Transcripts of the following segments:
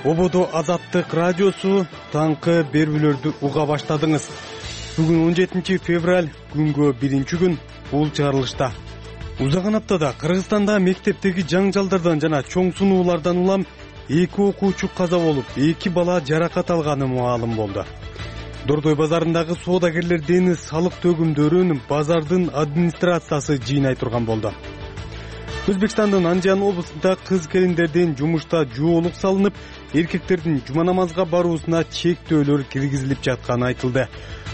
Ободо Азаттык радиосу таңкы берүүлөрдү уга баштадыңыз. Бүгүн 17 февраль, күнгө 1-күн, бул чыгарылышта. Узаган аптада Кыргызстанда мектептеги жаңжалдардан жана чоң сунуулардан улам 2 окуучу каза болуп, 2 бала жаракат алганы маалым болду. Дордой базарындагы соодагерлердин салык төгүмдөрүн базардын администрациясы жыйнай турган болду. Өзбекстандын Анжан облусунда кыз келиндердин жумушта жоолук салынып, эркектердин жума намазга баруусуна чектөөлөр киргизилип жатканы айтылды.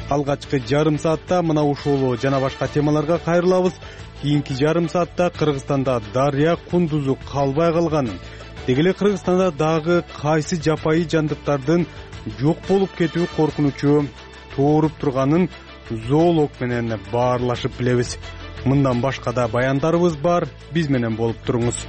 Алгачкы жарым саатта мына ушул жана башка темаларга кайрылабыз. Кийинки жарым саатта Кыргызстанда дарыя кундузу калбай калганын, деги эле Кыргызстанда дагы кайсы жапайы жандыктардын жок болуп кетүү коркунучу тууруп турганын зоолог менен баарлашып билебиз. Мындан башка да баяндарыбыз бар, биз менен болуп туруңуз.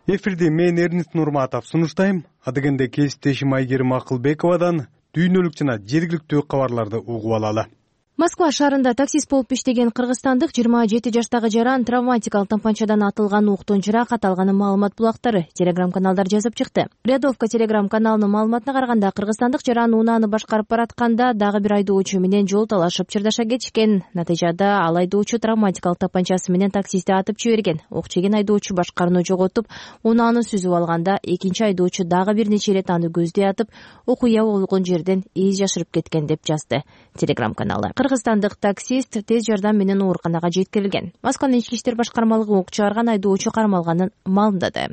Эфирди мен Эрнист Нурматов сунуштайм. Адегенде кесиптешим Айгерим Акылбековадан дүйнөлүк жана жергиликтүү кабарларды угуп алалы. Москва шаарында таксист болуп иштеген кыргызстандык 27 жаштагы жаран травматикалык тампанчадан атылган октон жаракат алганы маалымат булактары телеграм-каналдар жазып чыкты. Рядовка телеграм-каналынын маалыматына караганда, кыргызстандык жаран унааны башкарып баратканда дагы бир айдоочу менен жол талашып чырдаша кетишкен. Натыйжада ал айдоочу травматикалык тампанчасы менен таксистти атып жиберген. Ок жеген айдоочу башкарууну жоготуп, унааны сүзүп алганда, экинчи айдоочу дагы бир нече ирет аны көздөй атып, окуя болгон жерден эз жашырып кеткен деп жазды телеграм-каналы. Кыргызстандык таксист тез жардам менен ооруканага жеткирилген. Москванын ички иштер башкармалыгы ок чыгарган айдоочу кармалганын маалымдады.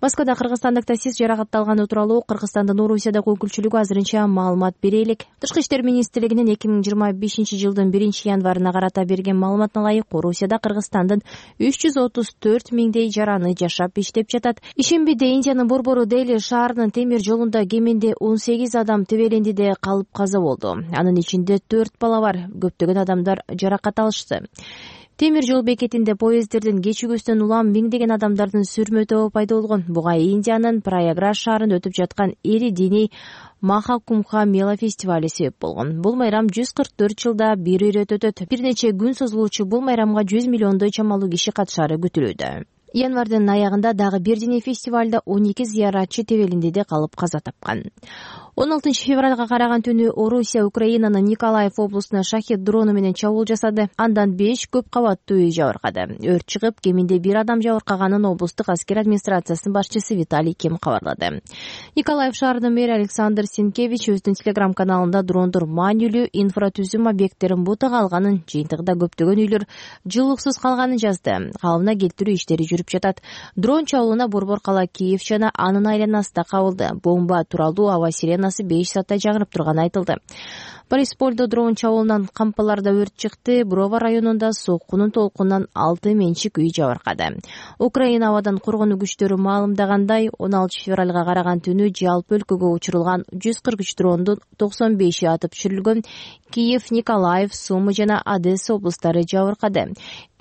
Москвада кыргызстандык таксист жаракатталганы тууралуу Кыргызстандын Орусиядагы өкүлчүлүгү азырынча маалымат бере элек. Тышкы иштер министрлигинин 2025-жылдын 1-январына карата берген маалыматына ылайык, Орусияда Кыргызстандын 334 миңдей жараны жашап иштеп жатат. Ишембиде Индиянын Борбору Дели шаарынын темир жолунда кеминде 18 адам тебелендиде калып каза болду. Анын ичинде 4 бала бар. Көптөгөн адамдар жаракат алышты. Темир жол бекетинде поезддердин кечигүүсүнөн улам миңдеген адамдардын сүрмө тобу пайда болгон. Буга Индиянын Праяграж шаарында өтүп жаткан эри диний Махакумха мела фестивали себеп болгон. Бул майрам 144 жылда бир ирет өтөт. Бир нече күн созулуучу бул майрамга 100 миллиондой чамалуу киши катышары күтүлүүдө. Январдын аягында дагы бир диний фестивалда 12 зыяратчы тебелиндиде калып каза тапкан. 16 февралга караган түнү Орусия Украинанын Николаев облусуна шахет дрону менен чабуул жасады. Андан 5 көп кабаттуу үй жабыркады. Өрт чыгып, кеминде бир адам жабыркаганын облустук аскер администрациясынын башчысы Виталий Ким кабарлады. Николаев шаарынын мэри Александр Синкевич өздүн телеграм-каналында дрондор маанилүү инфратүзүм объекттерин бутага алганын, жыйынтыгында көптөгөн үйлөр жылууксуз калганын жазды. Калыбына келтирүү иштери жүрүп жатат. Дрон чабуулуна Борбор кала Киев жана анын айланасы да кабылды. Бомба тууралуу аба сиренасы 5 саатта жаңырып турганы айтылды. Борисполдо дрон чабуулунан кампаларда өрт чыкты. Брова районунда соккунун толкунунан 6 менчик үй жабыркады. Украина абадан коргонуу күчтөрү маалымдагандай, 16 февралга караган түнү жалпы өлкөгө учурулган 143 дрондун 95и атып түшүрүлгөн. Киев, Николаев, Сумы жана Одесса облустары жабыркады.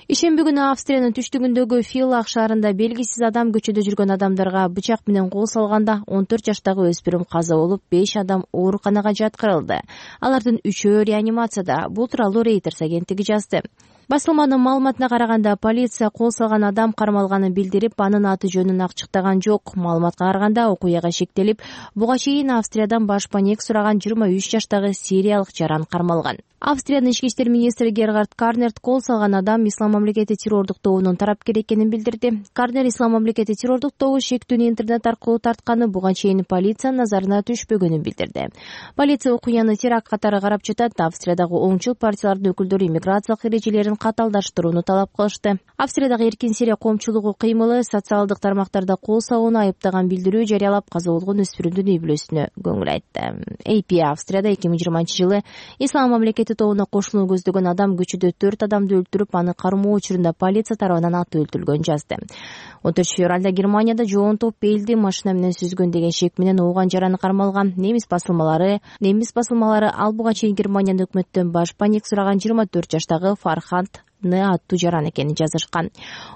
Ишемби күнү Австриянын түштүгүндөгү Филлах шаарында белгисиз адам көчөдө жүргөн адамдарга бычак менен кол салганда 14 жаштагы өспүрүм каза болуп, 5 адам ооруканага жаткырылды. Алардын 3-өө реанимацияда. Бул тууралуу Reuters агенттиги жазды. Басылманын маалыматына караганда, полиция кол салган адам кармалганын билдирип, анын аты жөнүн ачыктаган жок. Маалыматка караганда, окуяга шектелип, буга чейин Австриядан баш паник сураган 23 жаштагы сириялык жаран кармалган. Австриянын ички иштер министри Герхард Карнерт кол салган адам Ислам мамлекети террордук тобунун тарапкери экенин билдирди. Карнер Ислам мамлекети террордук тобу шектүүнү интернет аркылуу тартканы буга чейин полициянын назарына түшпөгөнүн билдирди. Полиция окуяны теракт катары карап жатат. Австриядагы оңчул партиялардын өкүлдөрү иммиграциялык эрежелерин каталдаштырууну талап кылышты. Австриядагы эркин Сирия коомчулугу кыймылы социалдык тармактарда кол салууну айыптаган билдирүү жарыялап, каза болгон өспүрүмдүн үй бүлөсүнө көңүл айтты. AP Австрияда 2020-жылы Ислам мамлекети тобуна кошулууну көздөгөн адам көчөдө 4 адамды өлтүрүп, аны кармоо учурунда полиция тарабынан атып өлтүрүлгөн жазды. 14 февралда Германияда жоон топ элди машина менен сүзгөн деген шек менен ооган жараны кармалган. Немис басылмалары ал буга чейин Германиянын өкмөттөн баш паник сураган 24 жаштагы Фарханд аттуу жаран экенин жазышкан.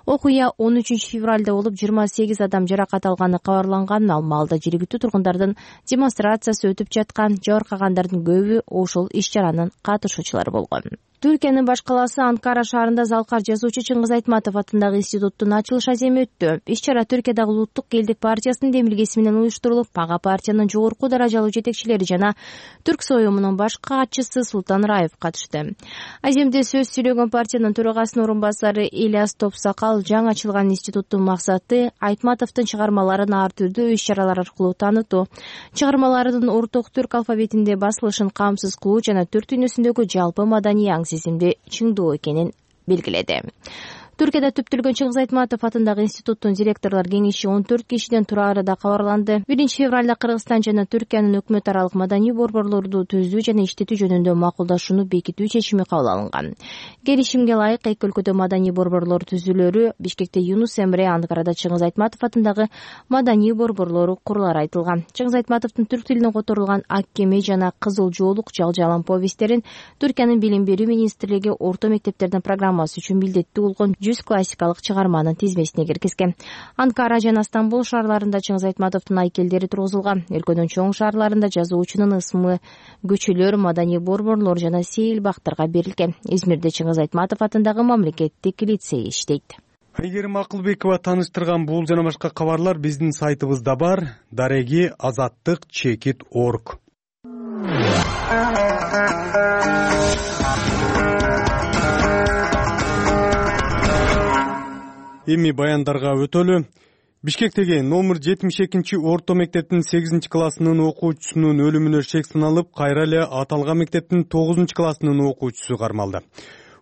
Окуя 13 февралда болуп, 28 адам жаракат алганы кабарланган. Ал маалда жергиликтүү тургундардын демонстрациясы өтүп жаткан. Жабыркагандардын көбү ошол иш-чаранын катышуучулары болгон. Түркиянын баш калаасы Анкара шаарында залкар жазуучу Чыңгыз Айтматов атындагы институттун ачылыш аземи өттү. Иш-чара Түркиядагы Улуттук элдик партиясынын демилгеси менен уюштурулуп, ага партиянын жогорку даражалуу жетекчилери жана Түрк союмунун баш катчысы Султан Раев катышты. Аземде сөз сүйлөгөн партиянын төрагасынын орун басары Ильяс Топсакал жаңы ачылган институттун максаты Айтматовдун чыгармаларын ар түрдүү иш-чаралар аркылуу таанытуу, чыгармаларынын орток түрк алфавитинде басылышын камсыз кылуу жана түрк дүйнөсүндөгү жалпы маданий сезимди чыңдоо экенин белгиледи. Түркияда түптөлгөн Чыңгыз Айтматов атындагы институттун директорлор кеңеши 14 кишиден турары да кабарланды. 1-февралда Кыргызстан жана Түркиянын өкмөт аралык маданий борборлорду түзүү жана иштетүү жөнүндө макулдашууну бекитүү чечими кабыл алынган. Келишимге ылайык эки өлкөдө маданий борборлор түзүлөрү, Бишкекте Юнус Эмре, Анкарада Чыңгыз Айтматов атындагы маданий борборлору курулары айтылган. Чыңгыз Айтматовдун түрк тилине которулган Ак кеме жана Кызыл жоолук Жалжалан повесттерин Түркиянын билим берүү министрлиги орто мектептердин программасы үчүн милдеттүү болгон 100 классикалык чыгарманын тизмесине киргизген. Анкара жана Стамбул шаарларында Чыңгыз Айтматовдун айкелдери тургузулган. Өлкөнүн чоң шаарларында жазуучунун ысмы көчөлөр, маданий борборлор жана сейил бактарга берилген. Измирде Чыңгыз Айтматов атындагы мамлекеттик лицей иштейт. Айгерим Акылбекова тааныштырган бул жана башка кабарлар биздин сайтыбызда бар. Дареги azattik.org. Эми баяндарга өтөлү. Бишкектеги номер 72 орто мектептин 8 классынын окуучусунун өлүмүнө шек саналып, кайра эле аталган мектептин 9 классынын окуучусу кармалды.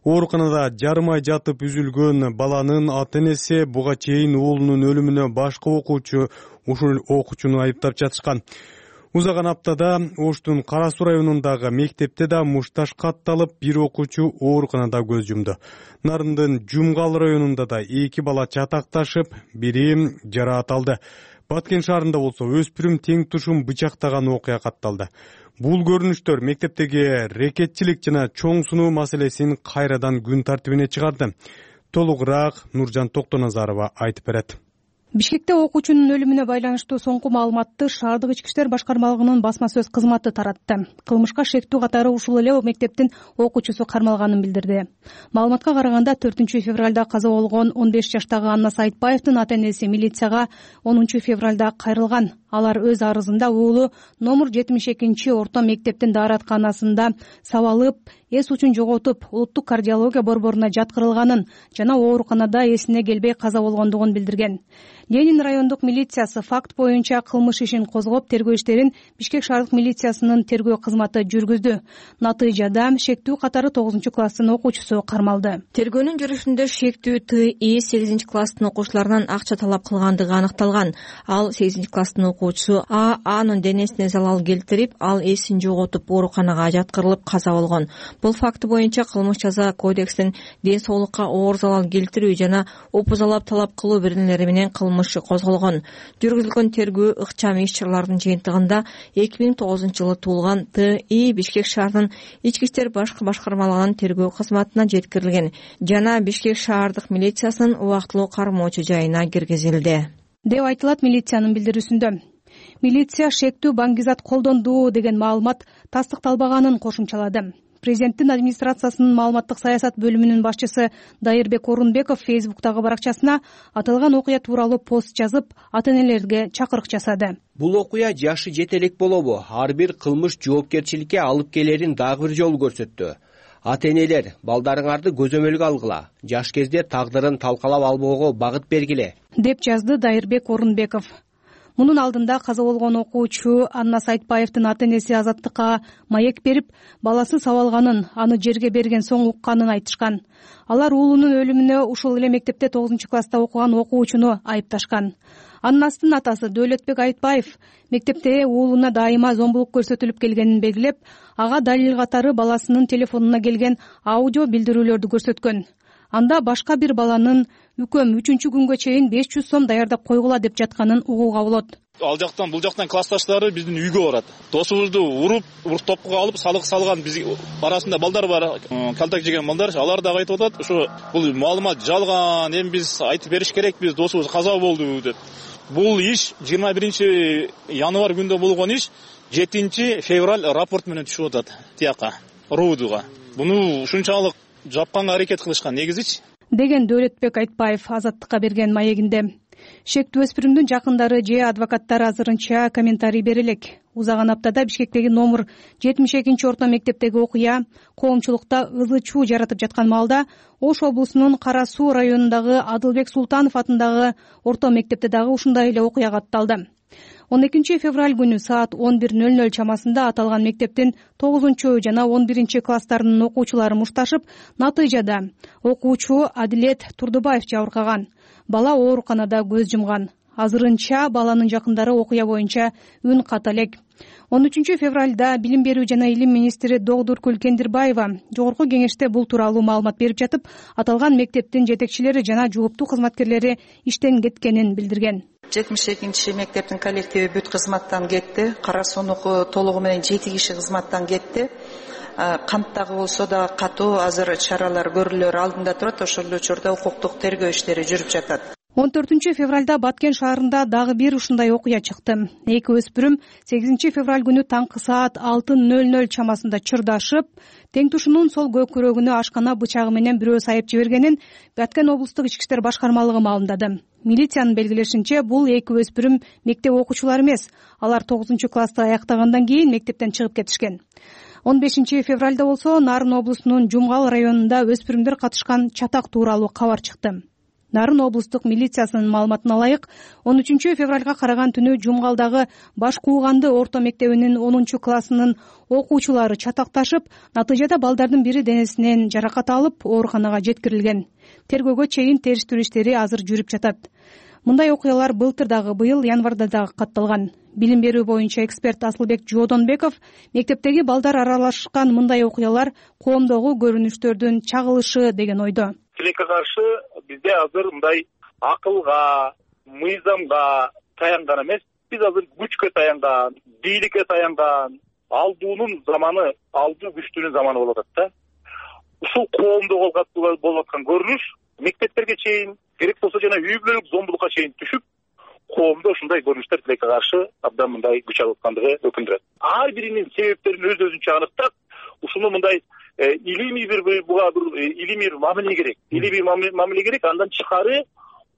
Ооруканада жарым ай жатып үзүлгөн баланын ата-энеси буга чейин уулунун өлүмүнө башка окуучу ушул окуучуну айыптап жатышкан. Узаган аптада Оштун Кара Суу районундагы мектепте да мушташ катталып, бир окуучу ооруканада көз жумду. Нарындын Жумгал районунда да 2 бала чатакташып, бири жараат алды. Баткен шаарында болсо өспүрүм тең тушум бычактаган окуя катталды. Бул көрүнүштөр мектептеги рекетчилик жана чоң сунуу маселесин кайрадан күн тартибине чыгарды. Толугураак Нуржан Токтоназарова айтып берет. Бишкекте окуучунун өлүмүнө байланыштуу соңку маалыматты шаардык ички иштер башкармалыгынын басма сөз кызматы таратты. Кылмышка шектүү катары ушул эле мектептин окуучусу кармалганын билдирди. Маалыматка караганда 4 февралда каза болгон 15 жаштагы Анна Сайтбаевдин ата-энеси милицияга 10 февралда кайрылган. Алар өз арызында уулу номер 72 орто мектептин дааратканасында сабалып, эс учун жоготуп, улуттук кардиология борборуна жаткырылганын жана ооруканада эсине келбей каза болгондугун билдирген. Ленин райондук милициясы факт боюнча кылмыш ишин козгоп, тергөө иштерин Бишкек шаардык милициясынын тергөө кызматы жүргүздү. Натыйжада шектүү катары 9 класстын окуучусу кармалды. Тергөөнүн жүрүшүндө шектүү ТИ 8 класстын окуучуларынан акча талап кылгандыгы аныкталган. Ал 8 класстын окуучусу Анын денесине залал келтирип, ал эсин жоготуп, ооруканага жаткырылып каза болгон. Бул факт боюнча кылмыш жаза кодексинин ден соолукка оор залал келтирүү жана опузалап талап кылуу беренелери менен кылмыш козголгон. Жүргүзүлгөн тергөө ыкчам иш-чаралардын жыйынтыгында 2009 жылы туулган ТИ Бишкек шаарынын ички иштер башкармалыгынын тергөө кызматына жеткирилген жана Бишкек шаардык милициясынын убактылуу кармоочу жайына киргизилди деп айтылат милициянын билдирүүсүндө. Милиция шектүү баңгизат колдонду деген маалымат тастыкталбаганын кошумчалады. Президенттин администрациясынын маалыматтык саясат бөлүмүнүн башчысы Дайырбек Орунбеков Фейсбуктагы баракчасына аталган окуя тууралуу пост жазып, ата-энелерге чакырык жасады. Бул окуя жашы жете элек болобу, ар бир кылмыш жоопкерчиликке алып келерин дагы бир жолу көрсөттү. Ата-энелер, балдарыңарды көзөмөлгө алгыла, жаш кезде тагдырын талкалап албоого багыт бергиле, деп жазды Дайырбек Орунбеков. Мунун алдында каза болгон окуучу Анна Сайтбаевдин ата-энеси Азаттыкка маек берип, баласы сабалганын, аны жерге берген соң укканын айтышкан. Алар уулунун өлүмүнө ушул эле мектепте 9 класста окуган окуучуну айыпташкан. Аннастын атасы Дөөлөтбек Айтбаев мектепте уулуна дайыма зомбулук көрсөтүлүп келгенин белгилеп, ага далил катары баласынын телефонуна келген аудио билдирүүлөрдү көрсөткөн. Анда башка бир баланын үкөм 3-күнгө чейин 500 сом даярдап койгула деп жатканын угууга болот. Ал жактан бул жактан классташтары биздин үйгө барат. Досубузду уруп топкуга алып салган биз арасында балдар бар, калтак жеген балдар. Алар дагы айтып атат, ушу бул маалымат жалган, эми биз айтып бериш керекпиз, досубуз каза болду деп. Бул иш 21 январь күндө болгон иш, 7 февраль рапорт менен түшүп атат тияка, РУДга. Буну ушунчалык жапканга аракет кылышкан негизичи, деген Дөөлөтбек Айтбаев Азаттыкка берген маегинде. Шектүү өспүрүмдүн жакындары же адвокаттары азырынча комментарий бере элек. Узаган аптада Бишкектеги номер 72 орто мектептеги окуя коомчулукта ызы чуу жаратып жаткан маалда Ош облусунун Кара Суу районундагы Адылбек Султанов атындагы орто мектепте дагы ушундай эле окуя катталды. 12 февраль күнү саат 11:00 чамасында аталган мектептин 9 жана 11 класстарынын окуучулары мушташып, натыйжада окуучу Адилет Турдубаев жабыркаган. Бала ооруканада көз жумган. Азырынча баланын жакындары окуя боюнча үн ката элек. 13 февралда Билим берүү жана илим министри Догдуркүл Кендирбаева жогорку кеңеште бул тууралуу маалымат берип жатып, аталган мектептин жетекчилери жана жооптуу кызматкерлери иштен кеткенин билдирген. 72 мектептин коллективи бүт кызматтан кетти. Кара Суунуку толугу менен 7 киши кызматтан кетти. Камттагы болсо да катуу азыр чаралар көрүлөр алдында турат. Ошол учурда укуктук тергөө иштери жүрүп жатат. 14 февралда Баткен шаарында дагы бир ушундай окуя чыкты. Эки өспүрүм 8 февраль күнү таңкы саат 6:00 чамасында чырдашып, тең тушунун сол көкүрөгүнө ашкана бычагы менен бирөө сайып жибергенин Баткен облустук ички иштер башкармалыгы маалымдады. Милициянын белгилешинче, бул эки өспүрүм мектеп окуучулары эмес. Алар 9 классты аяктагандан кийин мектептен чыгып кетишкен. 15 февралда болсо Нарын облусунун Жумгал районунда өспүрүмдөр катышкан чатак тууралуу кабар чыкты. Нарын облустук милициясынын маалыматына ылайык, 13 февралга караган түнү Жумгалдагы Баш Кууганды орто мектебинин 10 классынын окуучулары чатакташып, натыйжада балдардын бири денесинен жаракат алып, ооруканага жеткирилген. Тергөөгө чейин териштирүү иштери азыр жүрүп жатат. Мындай окуялар былтыр дагы, быйыл январда дагы катталган. Билим берүү боюнча эксперт Асылбек Жоодонбеков мектептеги балдар аралашкан мындай окуялар коомдогу көрүнүштөрдүн чагылышы деген ойдо. Тилекке каршы бизде азыр мындай акылга, мыйзамга таянган эмес, биз азыр күчкө таянган, бийликке таянган, алдуунун заманы, алдуу күчтүүнүн заманы болуп атат да. Ушул коомдо болуп аткан көрүнүш мектептерге чейин, керек болсо жана үй бүлөлүк зомбулукка чейин түшүп, коомдо ушундай көрүнүштөр тилекке каршы абдан мындай күч алып аткандыгы өкүндүрөт. Ар биринин себептерин өзүнчө аныктап, ушуну мындай илимий бир мамиле керек. Илимий мамиле керек, андан тышкары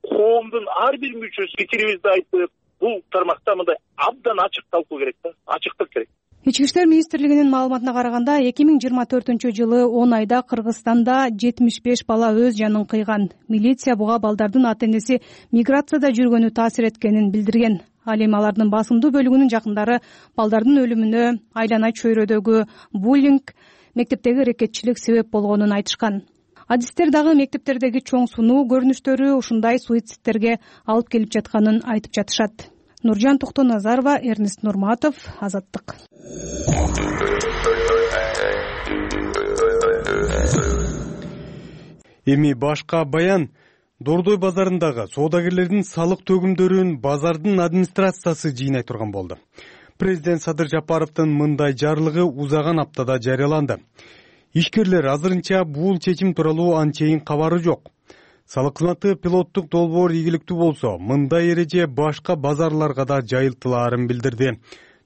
коомдун ар бир мүчөсү пикирибизди айтып, бул тармакта мындай абдан ачык талкуу керек да, ачыктык керек. Ички иштер министрлигинин маалыматына караганда 2024-жылы 10 айда Кыргызстанда 75 бала өз жанын кыйган. Милиция буга балдардын ата-энеси миграцияда жүргөнү таасир эткенин билдирген. Ал эми алардын басымдуу бөлүгүнүн жакындары балдардын өлүмүнө айлана чөйрөдөгү буллинг, мектептеги рекетчилик себеп болгонун айтышкан. Адистер дагы мектептердеги чоң сунуу көрүнүштөрү ушундай суицидтерге алып келип жатканын айтып жатышат. Нуржан Токтоназарова, Эрнест Нурматов, Азаттык. Эми башка баян. Дордой базарындагы соодагерлердин салык төгүмдөрүн базардын администрациясы жыйнай турган болду. Президент Садыр Жапаровдун мындай жарлыгы узаган аптада жарыяланды. Ишкерлер азырынча бул чечим тууралуу анчейин кабары жок. Салык кызматы пилоттук долбоор ийгиликтүү болсо, мындай эреже башка базарларга да жайылтылаарын билдирди.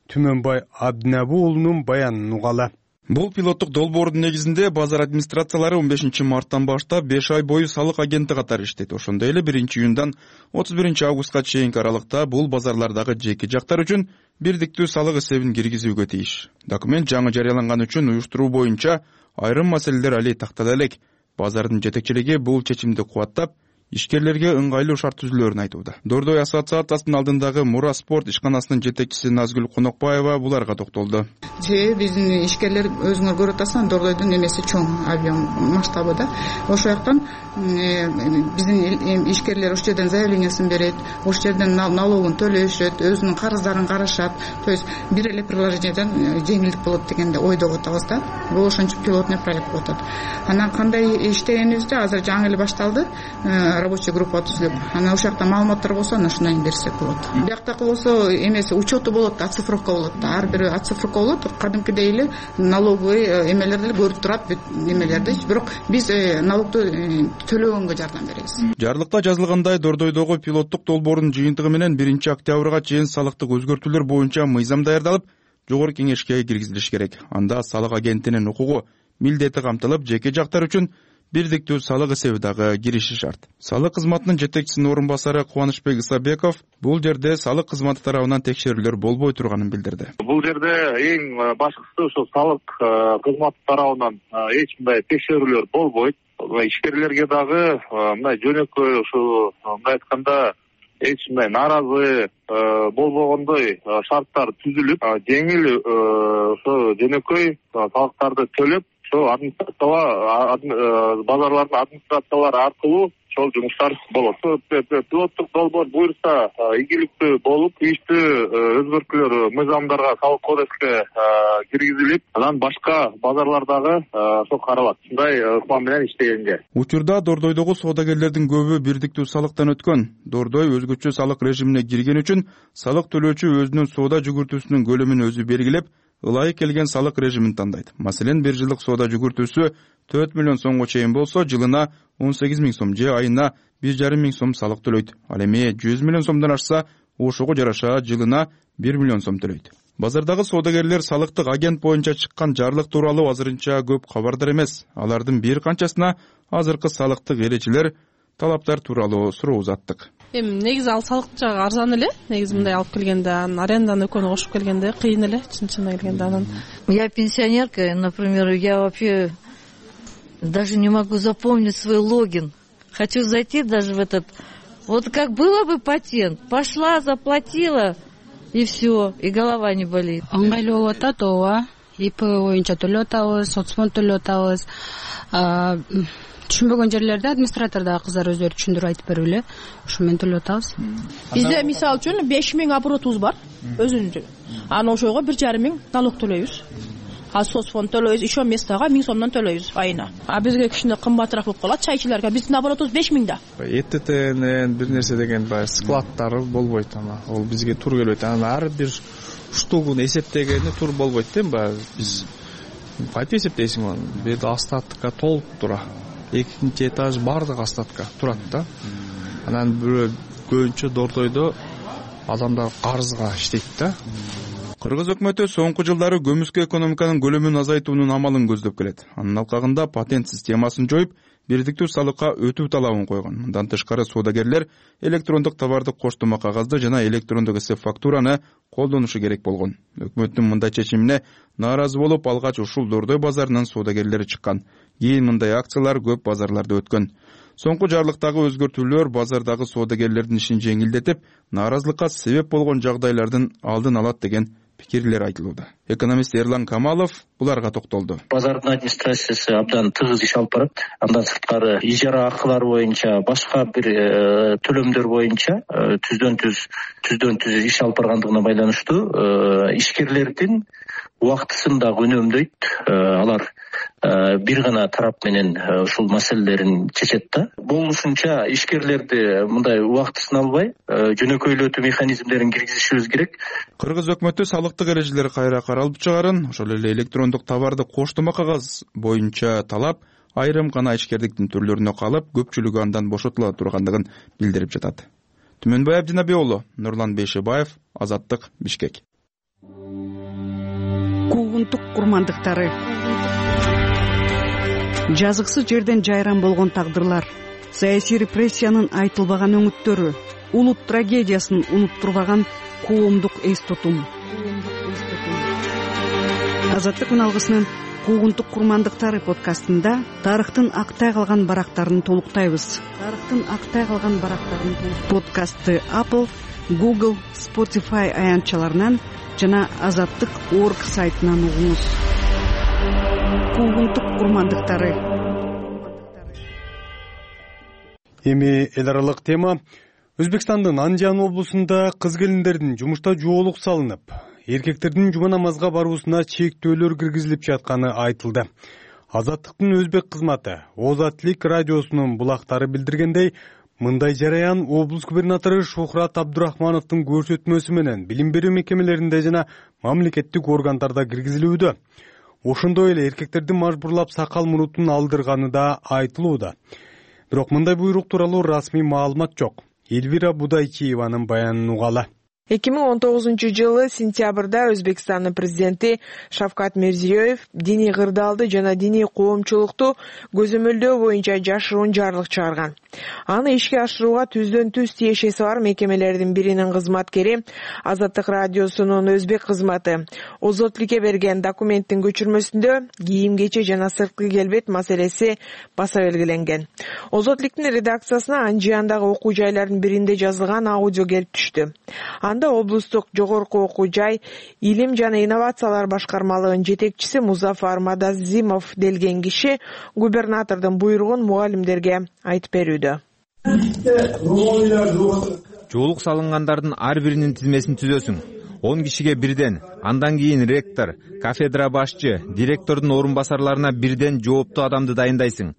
Түмөнбай Абдинабу уулунун баянын угалы. Бул пилоттук долбоордун негизинде базар администрациялары 15 марттан баштап 5 ай бою салык агенти катары иштейт. Ошондой эле 1-июндан 31 августка чейинки аралыкта бул базарлардагы жеке жактар үчүн бирдиктүү салык эсебин киргизүүгө тийиш. Документ жаңы жарыяланган үчүн уюштуруу боюнча айрым маселелер али тактала элек. Базардын жетекчилиги бул чечимди кубаттап, ишкерлерге ыңгайлуу шарт түзүлөөрүн айтууда. Дордой ассоциациясынын алдындагы Мура спорт ишканасынын жетекчиси Назгүл Конокбаева буларга токтолду. Биздин ишкерлер өзүңөр көрүп атасыңар, Дордойдун эмеси чоң, объем, масштабы да. Ошол жактан биздин ишкерлер ошол жерден заявлениясын берет, ошол жерден налогун төлөшөт, өзүнүн карыздарын карашат. То есть бир эле приложениеден жеңилдик болот дегенде ойдоп атабыз да. Бул ошончо пилотный проект болуп атат. Анан кандай иштегенибизде азыр жаңы эле башталды. Рабочая группа түзүлүп, ошол жакта маалыматтар болсо, ошондон берсек болот. Бияктакы болсо эмеси учету болот, оцифровка болот. Ар бир оцифровка болот. Кадимкидей эле налоговый эмелерди көрүп турат, эмелерди. Бирок биз налогду төлөгөнгө жардам беребиз. Жарлыкта жазылгандай, Дордойдогу пилоттук долбоордун жыйынтыгы менен 1-октябрга чейин салыктык өзгөртүүлөр боюнча мыйзам даярдалып, жогорку кеңешке киргизилиш керек. Анда салык агентинин укугу милдети камтылып, жеке жактар үчүн бирдиктүү салык эсеби дагы кириши шарт. Салык кызматынын жетекчисинин орун басары Кубанычбек Исабеков бул жерде салык кызматы тарабынан текшерүүлөр болбой турганын билдирди. Бул жерде эң башкысы ошо салык кызматы тарабынан эч кандай текшерүүлөр болбойт. Ишкерлерге дагы мындай жөнөкөй ошо мындай айтканда эч кандай нааразы болбогондой шарттар түзүлүп, жеңил ошо жөнөкөй салыктарды төлөп, базарлардын администрациялары аркылуу ошол жумуштар болот. Пилоттук долбоор буюрса ийгиликтүү болуп, тийиштүү өзгөртүүлөр мыйзамдарга, салык кодекске киргизилип, анан башка базарлардагы ошол каралат. Ушундай ыкма менен иштегенге. Учурда Дордойдогу соодагерлердин көбү бирдиктүү салыктан өткөн. Дордой өзгөчө салык режимине кирген үчүн салык төлөөчү өзүнүн соода жүгүртүүсүнүн көлөмүн өзү белгилеп, ылайык келген салык режимин тандайт. Маселен, 1 жылдык соода жүгүртүүсү 4 миллион сомго чейин болсо, жылына 18 миң сом же айына 1,5 миң сом салык төлөйт. Ал эми 100 миллион сомдон ашса, ошого жараша жылына 1 миллион сом төлөйт. Базардагы соодагерлер салыктык агент боюнча чыккан жарлык тууралуу азырынча көп кабардар эмес. Алардын бир канчасына азыркы салыктык эрежелер, талаптар тууралуу суроо узаттык. Эми негизи ал салык жагы арзан эле. Негизи мындай алып келгенде, аренданы экөөнү кошуп келгенде кыйын эле, чын-чынына келгенде анан. Я пенсионерка, например, я вообще даже не могу запомнить свой логин. Хочу зайти даже в этот. Вот как было бы патент, пошла, заплатила и все, и голова не болит. Ыңгайлуу болуп атат, ооба. ИП боюнча төлөп атабыз, соцфонд төлөп атабыз. Түшүнбөгөн жерлерде администратор дагы кыздар өздөрү түшүндүрүп айтып берип эле, ошо менен төлөп атабыз. Бизде мисалы үчүн 5 миң оборотубуз бар, өзүнүн. Анан ошого 1,5 миң налог төлөйбүз. Соцфонд төлөйбүз, еще местага 1000 сомдон төлөйбүз айына. Бизге кичине кымбатыраак болуп калат чайчыларга. Биздин оборотубуз 5 миң да. ЭТТнен бир нерсе деген баягы складтары болбойт, ама ол бизге тур келбейт. Анан ар бир штугун эсептегени тур болбойт да, баягы биз кантип эсептейсиң аны? Бул жерде остатка толуп тура. Экинчи этаж бардык остатка турат да. Анан көбүнчө Дордойдо адамдар карызга иштейт да. Кыргыз өкмөтү соңку жылдары көмүскө экономиканын көлөмүн азайтуунун амалын көздөп келет. Анын алкагында патент системасын жоюп, бирдиктүү салыкка өтүү талабын койгон. Мындан тышкары соодагерлер электрондук товардык коштома кагазды жана электрондук эсеп фактураны колдонушу керек болгон. Өкмөттүн мындай чечимине нааразы болуп, алгач ушул Дордой базарынын соодагерлери чыккан. Кийин мындай акциялар көп базарларда өткөн. Соңку жарлыктагы өзгөртүүлөр базардагы соодагерлердин ишин жеңилдетип, нааразылыкка себеп болгон жагдайлардын алдын алат деген пикирлер айтылууда. Экономист Эрлан Камалов буларга токтолду. Базардын администрациясы абдан тыгыз иш алып барат. Андан сырткары ижара акылары боюнча, башка бир төлөмдөр боюнча түздөн түз иш алып баргандыгына байланыштуу ишкерлердин убактысын дагы үнөмдөйт. Алар бир гана тарап менен ушул маселелерин чечет да. Болушунча ишкерлерди мындай убактысын албай, жөнөкөйлөтүү механизмдерин киргизишибиз керек. Кыргыз өкмөтү салыктык эрежелер кайра каралып чыгарын, ошол эле электрондук товарды коштома кагаз боюнча талап айрым гана ишкердиктин түрлөрүнө калып, көпчүлүгү андан бошотула тургандыгын билдирип жатат. Түмөнбай Абдинабий уулу, Нурлан Бейшебаев, Азаттык, Бишкек. Куугунтук курмандыктары. Жазыксыз жерден жайран болгон тагдырлар, саясий репрессиянын айтылбаган өңүттөрү, улут трагедиясын унуттурбаган коомдук эс тутум. Азаттык үналгысынын Куугунтук курмандыктары подкастында тарыхтын актай калган барактарын толуктайбыз. Подкастты Apple, Google, Spotify аянтчаларынан жана Азаттык.org сайтынан угуңуз. Куугунтук курмандыктары. Эми эл аралык тема. Өзбекстандын Анжан облусунда кыз келиндердин жумушта жоолук салынып, эркектердин жума намазга баруусуна чектөөлөр киргизилип жатканы айтылды. Азаттыктын өзбек кызматы Озаттык радиосунун булактары билдиргендей, мындай жараян облус губернатору Шухрат Абдурахмановдун көрсөтмөсү менен билим берүү мекемелеринде жана мамлекеттик органдарда киргизилүүдө. Ошондой эле эркектердин мажбурлап сакал мурутун алдырганы да айтылууда. Бирок мындай буйрук тууралуу расмий маалымат жок. Эльвира Будайчиеванын баянын угалы. 2019 сентябрда Өзбекстандын президенти Шавкат Мирзиёев диний кырдаалды жана диний коомчулукту көзөмөлдөө боюнча жашыруун жарлык чыгарган. Аны ишке ашырууга түздөн-түз тиешеси бар мекемелердин биринин кызматкери Азаттык радиосунун өзбек кызматы Озотликке берген документтин көчүрмөсүндө кийим кече жана сырткы келбет маселеси баса белгиленген. Озотликтин редакциясына Анжияндагы окуу жайлардын биринде жазылган аудио келип түштү. Анда облустук жогорку окуу жай илим жана инновациялар башкармалыгынын жетекчиси Музафар Мадазимов делген киши губернатордун буйругун мугалимдерге айтып берүүдө. Жоолук салынгандардын ар биринин тизмесин түзөсүң. 10 кишиге бирден, андан кийин ректор, кафедра башчы, директордун орун басарларына бирден жооптуу адамды дайындайсың.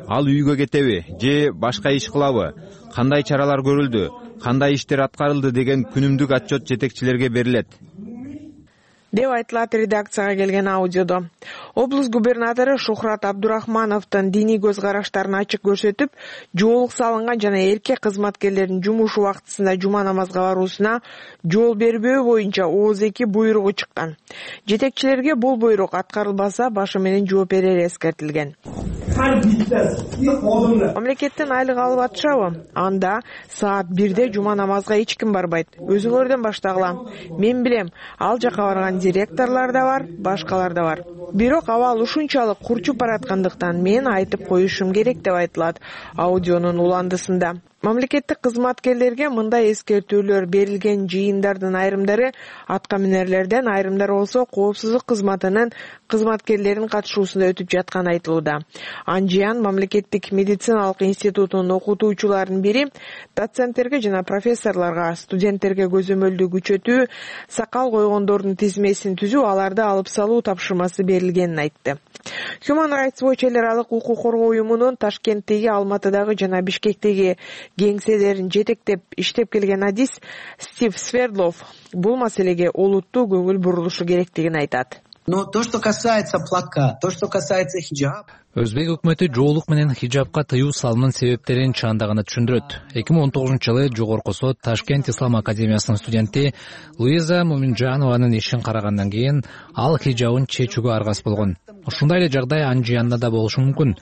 Ал үйгө кетеби же башка иш кылабы? Кандай чаралар көрүлдү? Кандай иштер аткарылды деген күнүмдүк отчет жетекчилерге берилет деп айтылат редакцияга келген аудиодо. Облус губернатору Шухрат Абдурахмановдун диний көз караштарын ачык көрсөтүп, жоолук салынган жана эркек кызматкерлердин жумуш убактысында жума намазга баруусуна жол бербөө боюнча ооз-2 буйругу чыккан. Жетекчилерге бул буйрук аткарылбаса башы менен жооп берери эскертилген. Мамлекеттен айлык алып атышабы? Анда саат 1-де жума намазга эч ким барбайт. Өзүңөрдөн баштагыла. Мен билем, ал жака барган директорлор да бар, башкалар да бар. Бирок абал ушунчалык курчуп бараткандыктан мен айтып коюшум керек деп айтылат аудионун уландысында. Мамлекеттик кызматкерлерге мындай эскертүүлөр берилген жыйындардын айрымдары атка минерлерден, айрымдары болсо коопсуздук кызматынын кызматкерлеринин катышуусунда өтүп жатканы айтылууда. Анжиян мамлекеттик медициналык институтунун окутуучуларынын бири доценттерге жана профессорлорго, студенттерге көзөмөлдү күчөтүү, сакал койгондордун тизмесин түзүү, аларды алып салуу тапшырмасы берилгенин айтты. Human Rights Watch эл аралык укук коргоо уюмунун Ташкенттеги, Алматыдагы жана Бишкектеги кеңселерин жетектеп иштеп келген адис Стив Свердлов бул маселеге олуттуу көңүл бурулушу керектигин айтат. Но то, что касается платка, то, что касается хиджаб. Өзбек өкмөтү жоолук менен хиджабка тыюу салуунун себептерин чаандаганы түшүндүрөт. 2019-жылы Жогорку сот Ташкент Ислам академиясынын студенти Луиза Муминжанованын ишин карагандан кийин ал хиджабын чечүүгө аргасыз болгон. Ушундай эле жагдай Анжиянда да болушу мүмкүн.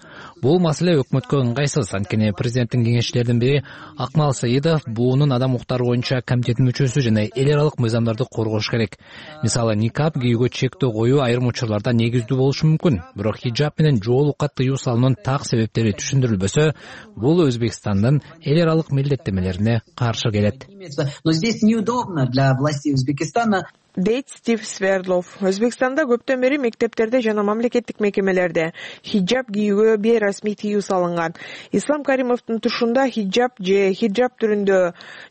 Бул маселе өкмөткө ыңгайсыз, анткени президенттин кеңешчилеринин бири Акмал Саидов буунун адам укуктары боюнча комитеттин мүчөсү жана эл аралык мыйзамдарды коргош керек. Мисалы, никап кийүүгө чектөө коюу айрым учурларда негиздүү болушу мүмкүн. Бирок хиджаб менен жоолукка тыюу салуунун так себептери түшүндүрүлбөсө, бул Өзбекстандын эл аралык милдеттемелерине каршы келет. Но здесь неудобно для властей Узбекистана. Дейт Стив Свердлов. Өзбекстанда көптөн бери мектептерде жана мамлекеттик мекемелерде хиджаб кийүүгө бейрасмий тыюу салынган. Ислам Каримовдун тушунда хиджаб же хиджаб түрүндө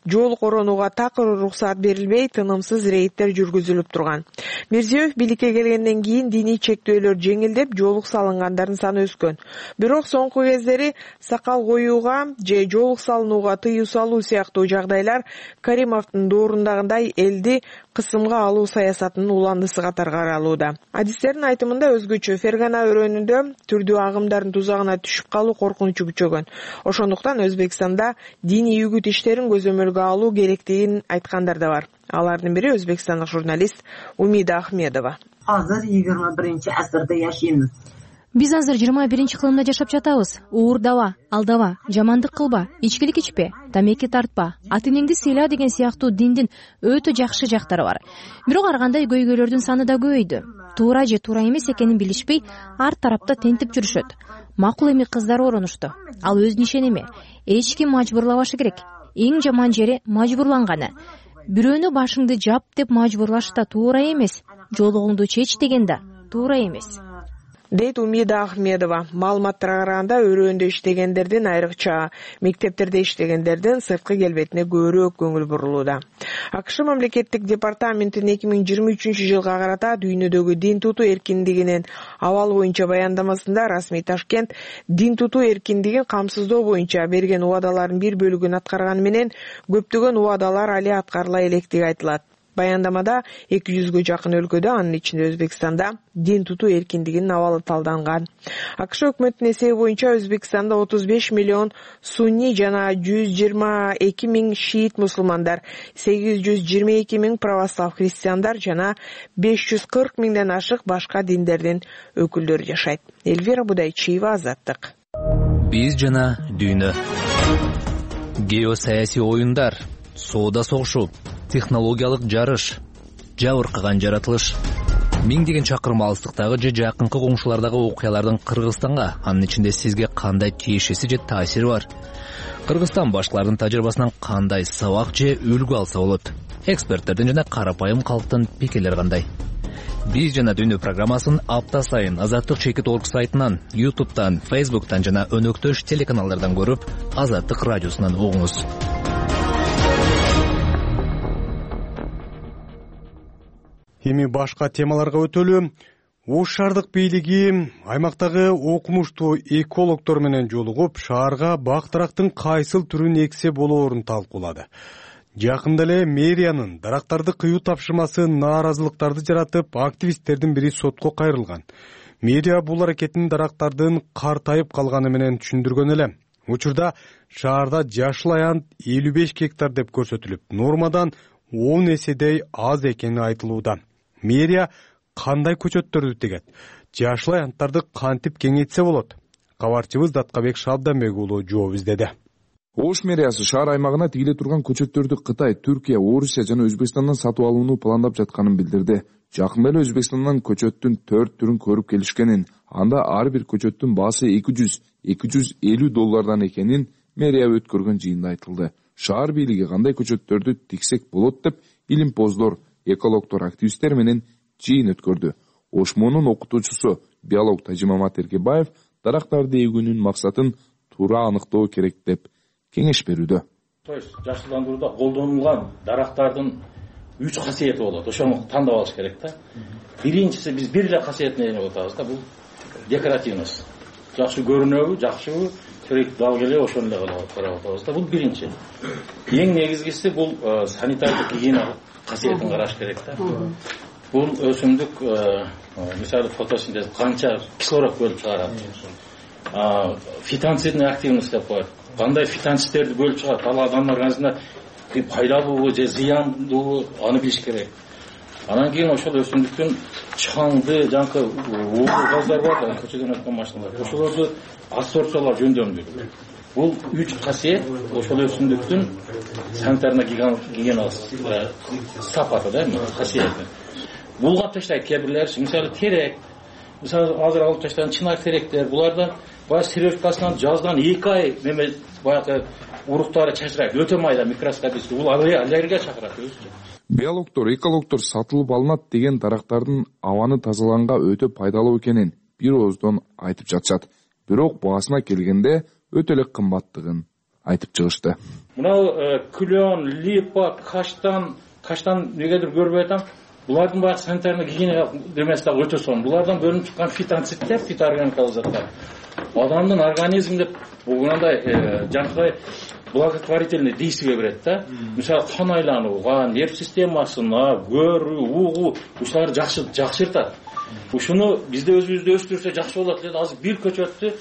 жоолук оронууга такыр уруксаат берилбей, тынымсыз рейдтер жүргүзүлүп турган. Мирзиёев бийликке келгенден кийин диний чектөөлөр жеңилдеп, жоолук салынгандардын саны өскөн. Бирок соңку кездери сакал коюуга же жоолук салынууга тыюу салуу сыяктуу жагдайлар Каримовдун доорундагындай элди кысымга алуу саясатынын уландысы катары каралууда. Адистердин айтымында өзгөчө Фергана өрөөнүндө түрдүү агымдардын тузагына түшүп калуу коркунучу күчөгөн. Ошондуктан Өзбекстанда диний үгүт иштерин көзөмөлгө алуу керектигин айткандар да бар. Алардын бири өзбекстандык журналист Умида Ахмедова. Азыр 21-асырда жашайбыз. Биз азыр 21-кылымда жашап жатабыз. Уурдаба, алдава, жамандык кылба, ичкилик ичпе, тамеки тартпа, ата-энеңди сыйла деген сыяктуу диндин өтө жакшы жактары бар. Бирок ар кандай көйгөйлөрдүн саны да көбөйдү. Туура же туура эмес экенин билишпей, ар тарапта тентип жүрүшөт. Макул эми кыздар оронушту. Ал өзүнүн ишеними. Эч ким мажбурлабашы керек. Эң жаман жери мажбурланганы. Бирөөнү башыңды жап деп мажбурлаш да туура эмес. Жоолугуңду чеч деген да туура эмес. Дейт Умида Ахмедова. Маалыматтарга караганда өрөөндө иштегендердин, айрыкча мектептерде иштегендердин сырткы келбетине көбүрөөк көңүл бурулууда. АКШ мамлекеттик департаментинин 2023-жылга карата дүйнөдөгү дин тутуу эркиндигинин абалы боюнча баяндамасында расмий Ташкент дин тутуу эркиндигин камсыздоо боюнча берген убадалардын бир бөлүгүн аткарганы менен көптөгөн убадалар али аткарыла электиги айтылат. Баяндамада 200гө жакын өлкөдө, анын ичинде Өзбекстанда дин тутуу эркиндигинин абалы талданган. АКШ өкмөтүнүн эсеби боюнча Өзбекстанда 35 миллион сунни жана 122 миң шиит мусулмандар, 822 миң православ христиандар жана 540 миңден ашык башка диндердин өкүлдөрү жашайт. Элвира Будайчиева, Азаттык. Биз жана дүйнө. Геосаясий оюндар, соода согушу, технологиялык жарыш, жабыркаган жаратылыш. Миңдеген чакырым алыстыктагы же жакынкы коңшулардагы окуялардын Кыргызстанга, анын ичинде сизге кандай тиешеси же таасири бар? Кыргызстан башкалардын тажрыйбасынан кандай сабак же үлгү алса болот? Эксперттердин жана карапайым калктын пикирлери кандай? Биз жана дүйнө программасын апта сайын Азаттык Чекит.org сайтынан, YouTube'дан, Facebook'тан жана өнөктөш телеканалдардан көрүп, Азаттык радиосунан угуңуз. Эми башка темаларга өтөлү. Ош шаардык бийлиги аймактагы окумуштуу экологдор менен жолугуп, шаарга бак-дарактын кайсыл түрүн эксе болоорун талкуулады. Жакында эле мэриянын дарактарды кыюу тапшырмасы нааразылыктарды жаратып, активисттердин бири сотко кайрылган. Мэрия бул аракетин дарактардын картайып калганы менен түшүндүргөн эле. Учурда шаарда жашыл аянт 55 гектар деп көрсөтүлүп, нормадан 10 эседей аз экени айтылууда. Мэрия кандай көчөттөрдү тегет? Жашыл аянттарды кантип кеңейтсе болот? Кабарчыбыз Даткабек Шабданбек уулу жооп издеди. Ош мэриясы шаар аймагына тигиле турган көчөттөрдү Кытай, Түркия, Орусия жана Өзбекстандан сатып алууну пландап жатканын билдирди. Жакында эле Өзбекстандан көчөттүн 4 түрүн көрүп келишкенин, анда ар бир көчөттүн баасы $200-250 экенин мэрия өткөргөн жыйында айтылды. Шаар бийлиги кандай көчөттөрдү тиксек болот деп илимпоздор, экологдор, активисттер менен жыйын өткөрдү. Ошмонун окутуучусу биолог Тажимамат Эркебаев дарактарды эгүүнүн максатын туура аныктоо керек деп кеңеш берүүдө. Жашылдандырууда колдонулган дарактардын 3 касиети болот. Ошону тандап алыш керек да. Биринчиси биз бир эле касиетин ээлеп атабыз да, бул декоративность. Жакшы көрүнөбү, жакшыбы, керек дал келе ошону эле карап атабыз да. Бул биринчи. Эң негизгиси бул санитардык гигиена касиетин караш керек да. Бул өсүмдүк мисалы фотосинтез канча кислород бөлүп чыгарат. Фитонцидный активность деп коет. Кандай фитонцидтерди бөлүп чыгарат? Ал адамдын организмине пайдалуубу же зыяндуубу аны билиш керек. Анан кийин ошол өсүмдүктүн чаңды, жанкы уулуу газдар бар да, көчөдөн өткөн машиналар. Ошолорду адсорбциялап жөндөмдүрүү. Бул 3 касиет ошол өсүмдүктүн санитарный гигиена сапаты да, касиети. Булга таштайт кээ бирлер, мисалы терек, мисалы азыр алып таштаган чынар теректер, булардан баягы сировкасынан жаздан 2 ай неме баягы уруктары чачырайт, өтө майда микроскопический, бул аллергия чакырат өзү. Биологдор, экологдор сатылып алынат деген дарактардын абаны тазалаганга өтө пайдалуу экенин бир ооздон айтып жатышат. Бирок баасына келгенде өтө эле кымбаттыгын айтып чыгышты. Мына күлөн, липа, каштан негедир көрбөй атам. Булардын баягы санитарный гигиена демеси дагы өтө сонун. Булардан бөлүнүп чыккан фитонцидтер, фитоорганикалык заттар адамдын организминде мындай жанагы благотворительный действие берет да. Мисалы кан айланууга, нерв системасына, көрүү, угуу ушуларды жакшыртат. Ушуну бизде өзүбүздө өстүрсө жакшы болот деп азыр бир көчөттү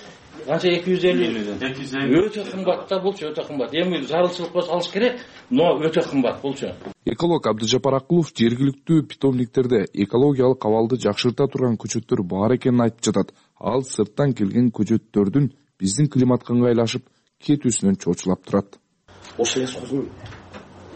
канча 250 өтө кымбат да, булчу өтө кымбат. Эми зарылчылык болсо алыш керек, но өтө кымбат булчу. Эколог Абдыжапар Акулов жергиликтүү питомниктерде экологиялык абалды жакшырта турган көчөттөр бар экенин айтып жатат. Ал сырттан келген көчөттөрдүн биздин климатка ыңгайлашып кетүүсүнөн чочулап турат. Ошол лесхоздун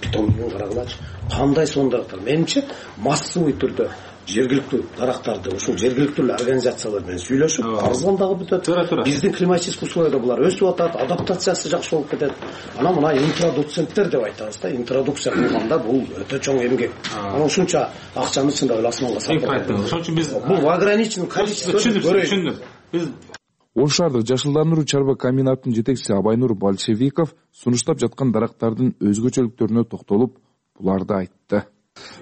питомнигин карагылачы. Кандай сонун дарактар. Менимче массовый түрдө жергиликтүү дарактарды ушул жергиликтүү организациялар менен сүйлөшүп, арзандагы бүтөт. Биздин климатический условияда булар өсүп атат, адаптациясы жакшы болуп кетет. Анан мына интродуценттер деп айтабыз да, интродукция кылганда бул өтө чоң эмгек. Анан ушунча акчаны чындап эле асманга сатып. Ошон үчүн биз бул в ограниченном количестве түшүндүк. Биз Ош шаардык жашылдандыруу чарба комбинатынын жетекчиси Абайнур Большевиков сунуштап жаткан дарактардын өзгөчөлүктөрүнө токтолуп, буларды айтты.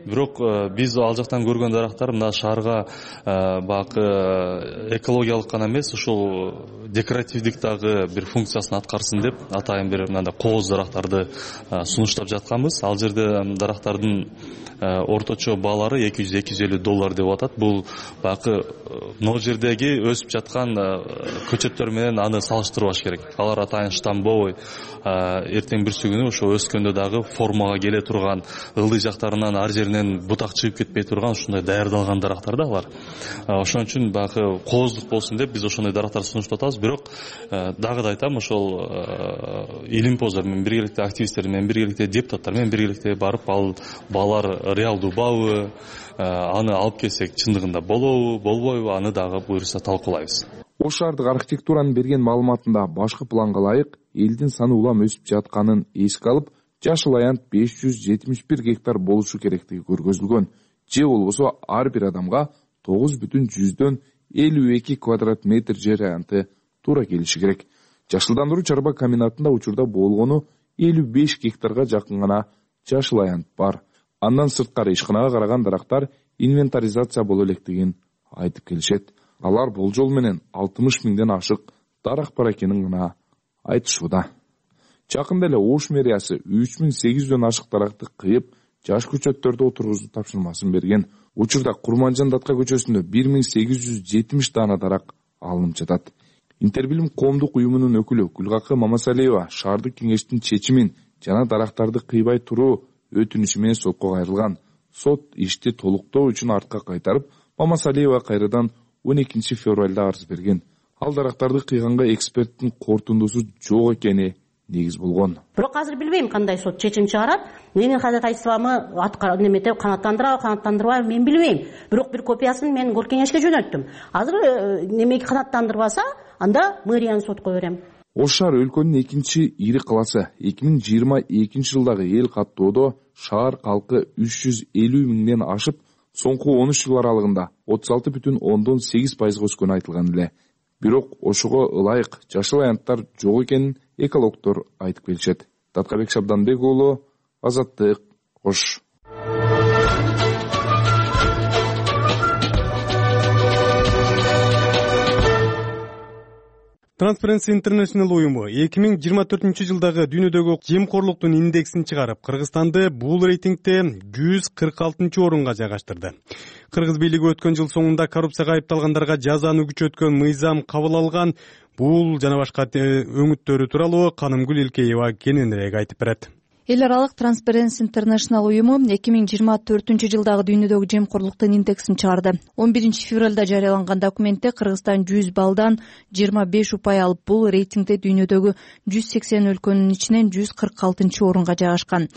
Бирок биз ал жактан көргөн дарактар мына шаарга баягы экологиялык гана эмес, ушул декоративдик дагы бир функциясын аткарсын деп атайын бир мындай кооз дарактарды сунуштап жатканбыз. Ал жерде дарактардын орточо баалары $200-250 деп атат. Бул баягы могу жердеги өсүп жаткан көчөттөр менен аны салыштырбаш керек. Алар атайын штамбовый, эртең бүрсү күнү ошо өскөндө дагы формага келе турган, ылдый жактарынан ар жеринен бутак чыгып кетпей турган ушундай даярдалган дарактар да алар. Ошон үчүн баягы кооздук болсун деп биз ошондой дарактарды сунуштап атабыз. Бирок дагы да айтам, ошол илимпоздор менен биргеликте, активисттер менен биргеликте, депутаттар менен биргеликте барып ал баалар реалдуубабы, аны алып келсек чындыгында болобу, болбойбу, аны дагы буюрса талкуулайбыз. Ош шаардык архитектуранын берген маалыматында башкы планга ылайык элдин саны улам өсүп жатканын эске алып, жашыл аянт 571 гектар болушу керектиги көргөзүлгөн. Же болбосо ар бир адамга 9,52 квадрат метр жер аянты туура келиши керек. Жашылдандыруу чарба комбинатында учурда болгону 55 гектарга жакын гана жашыл аянт бар. Андан сырткары ишканага караган дарактар инвентаризация боло электигин айтып келишет. Алар болжол менен 60 миңден ашык дарак бар экенин гана айтышууда. Жакында эле Ош мэриясы 3800дөн ашык даракты кыйып, жаш көчөттөрдү отургузуу тапшырмасын берген. Учурда Курманжан Датка көчөсүндө 1870 даана дарак алынып жатат. Интербилим коомдук уюмунун өкүлү Гүлгакы Мамасалиева шаардык кеңештин чечимин жана дарактарды кыйбай туруу өтүнүшү менен сотко кайрылган. Сот ишти толуктоо үчүн артка кайтарып, Мамасалиева кайрадан 12 февралда арыз берген. Ал дарактарды кыйганга эксперттин корутундусу жок экени негиз болгон. Бирок азыр билбейм кандай сот чечим чыгарат. Менин ходатайствомду немете канааттандырбайбы мен билбейм. Бирок бир копиясын мен кор кеңешке жөнөттүм. Азыр немеги канааттандырбаса, анда мэриянын сотко берем. Ош шаар өлкөнүн экинчи ири каласы. 2022 жылдагы эл каттоодо шаар калкы 350 миңден ашып, соңку 13 жыл аралыгында 36,8% өскөнү айтылган эле. Бирок ошого ылайык жашыл аянттар жок экенин экологдор айтып келишет. Таткабек Шабданбек уулу, Азаттык, Ош. Transparency International уюму 2024 жылдагы дүйнөдөгү жемкорлуктун индексин чыгарып, Кыргызстанды бул рейтингде 146 орунга жайгаштырды. Кыргыз бийлиги өткөн жыл соңунда коррупцияга айыпталгандарга жазаны күчөткөн мыйзам кабыл алган. Бул жана башка өңүттөрү тууралуу Канымгүл Илкеева кененирээк айтып берет. Эл аралык Transparency International уюму 2024 жылдагы дүйнөдөгү жемкорлуктун индексин чыгарды. 11 февралда жарыяланган документте Кыргызстан 100 баллдан 25 упай алып, бул рейтингде дүйнөдөгү 180 өлкөнүн ичинен 146 орунга жайгашкан.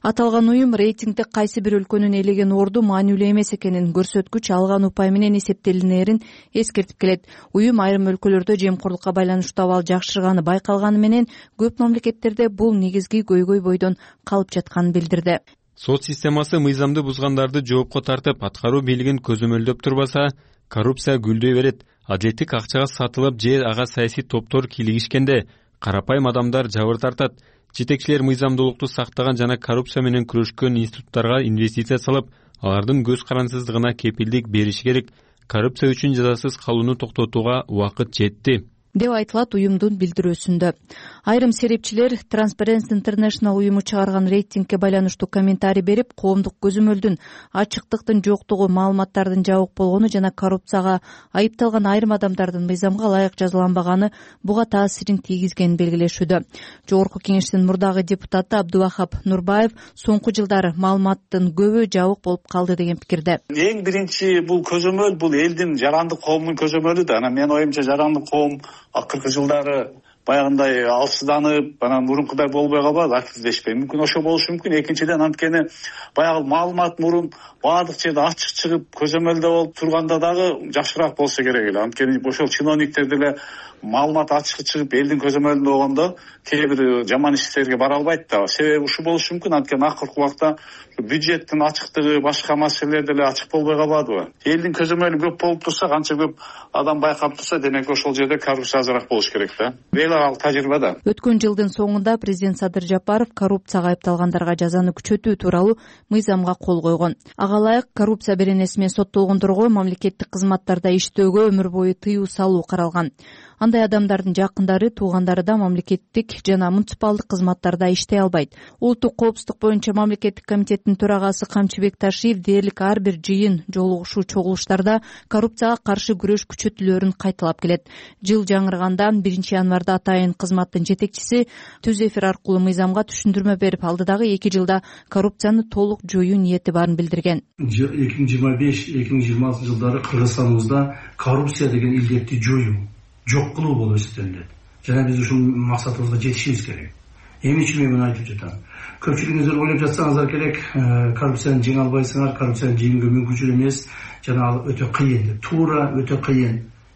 Аталган уюм рейтингде кайсы бир өлкөнүн ээлеген орду маанилүү эмес экенин, көрсөткүч алган упай менен эсептелинерин эскертип келет. Уюм айрым өлкөлөрдө жемкорлукка байланыштуу абал жакшырганы байкалганы менен көп мамлекеттерде бул негизги көйгөй бойдон калып жатканын билдирди. Сот системасы мыйзамды бузгандарды жоопко тартып, аткаруу бийлигин көзөмөлдөп турбаса, коррупция гүлдөй берет. Адилеттик акчага сатылып же ага саясий топтор кийлигишкенде карапайым адамдар жабыр тартат. Жетекчилер мыйзамдуулукту сактаган жана коррупция менен күрөшкөн институттарга инвестиция салып, алардын көз карансыздыгына кепилдик бериши керек. Коррупция үчүн жазасыз калууну токтотууга убакыт жетти деп айтылат уюмдун билдирүүсүндө. Айрым серепчилер Transparency International уюму чыгарган рейтингке байланыштуу комментарий берип, коомдук көзөмөлдүн, ачыктыктын жоктугу, маалыматтардын жабык болгону жана коррупцияга айыпталган айрым адамдардын мыйзамга ылайык жазаланбаганы буга таасирин тийгизгенин белгилешүүдө. Жогорку кеңештин мурдагы депутаты Абдубахап Нурбаев соңку жылдары маалыматтын көбү жабык болуп калды деген пикирде. Эң биринчи бул көзөмөл бул элдин жарандык коомдун көзөмөлү да. Анан менин оюмча жарандык коом акыркы жылдары баягындай алсызданып, анан мурункудай болбой калбады, активдешпей. Мүмкүн ошо болушу мүмкүн. Экинчиден, анткени баягы маалымат мурун баардык жерде ачык чыгып, көзөмөлдө болуп турганда дагы жакшыраак болсо керек эле. Анткени ошол чиновниктер деле маалымат ачык чыгып, элдин көзөмөлүндө болгондо кээ бир жаман иштерге бара албайт да. Себеби ушул болушу мүмкүн. Анткени акыркы убакта бюджеттин ачыктыгы, башка маселелер деле ачык болбой калбадыбы? Элдин көзөмөлү көп болуп турса, канча көп адам байкап турса, демек ошол жерде коррупция азыраак болуш керек да. Эл ал тажрыйба да. Өткөн жылдын соңунда президент Садыр Жапаров коррупцияга айыпталгандарга жазаны күчөтүү тууралуу мыйзамга кол койгон. Ага ылайык коррупция беренеси менен соттолгондорго мамлекеттик кызматтарда иштөөгө өмүр бою тыюу салуу каралган. Андай адамдардын жакындары, туугандары да мамлекеттик жана муниципалдык кызматтарда иштей албайт. Улуттук коопсуздук боюнча мамлекеттик комитеттин төрагасы Камчыбек Ташиев дээрлик ар бир жыйын, жолугушуу, чогулуштарда коррупцияга каршы күрөш күчөтүлөөрүн кайталап келет. Жыл жаңырганда 1-январда атайын кызматтын жетекчиси түз эфир аркылуу мыйзамга түшүндүрмө берип, алдыдагы 2 жылда коррупцияны толук жоюу ниети барын билдирген. 2025-2026 жылдары Кыргызстаныбызда коррупция деген илдетти жоюу, жок кылуу болуп эсептелинет. Жана биз ушул максатыбызга жетишибиз керек. Эмне үчүн мен муну айтып жатам? Көпчүлүгүңүздөр ойлоп жатсаңыздар керек, коррупцияны жеңе албайсыңар, коррупцияны жеңүүгө мүмкүнчүл эмес, жана ал өтө кыйын деп. Туура, өтө кыйын.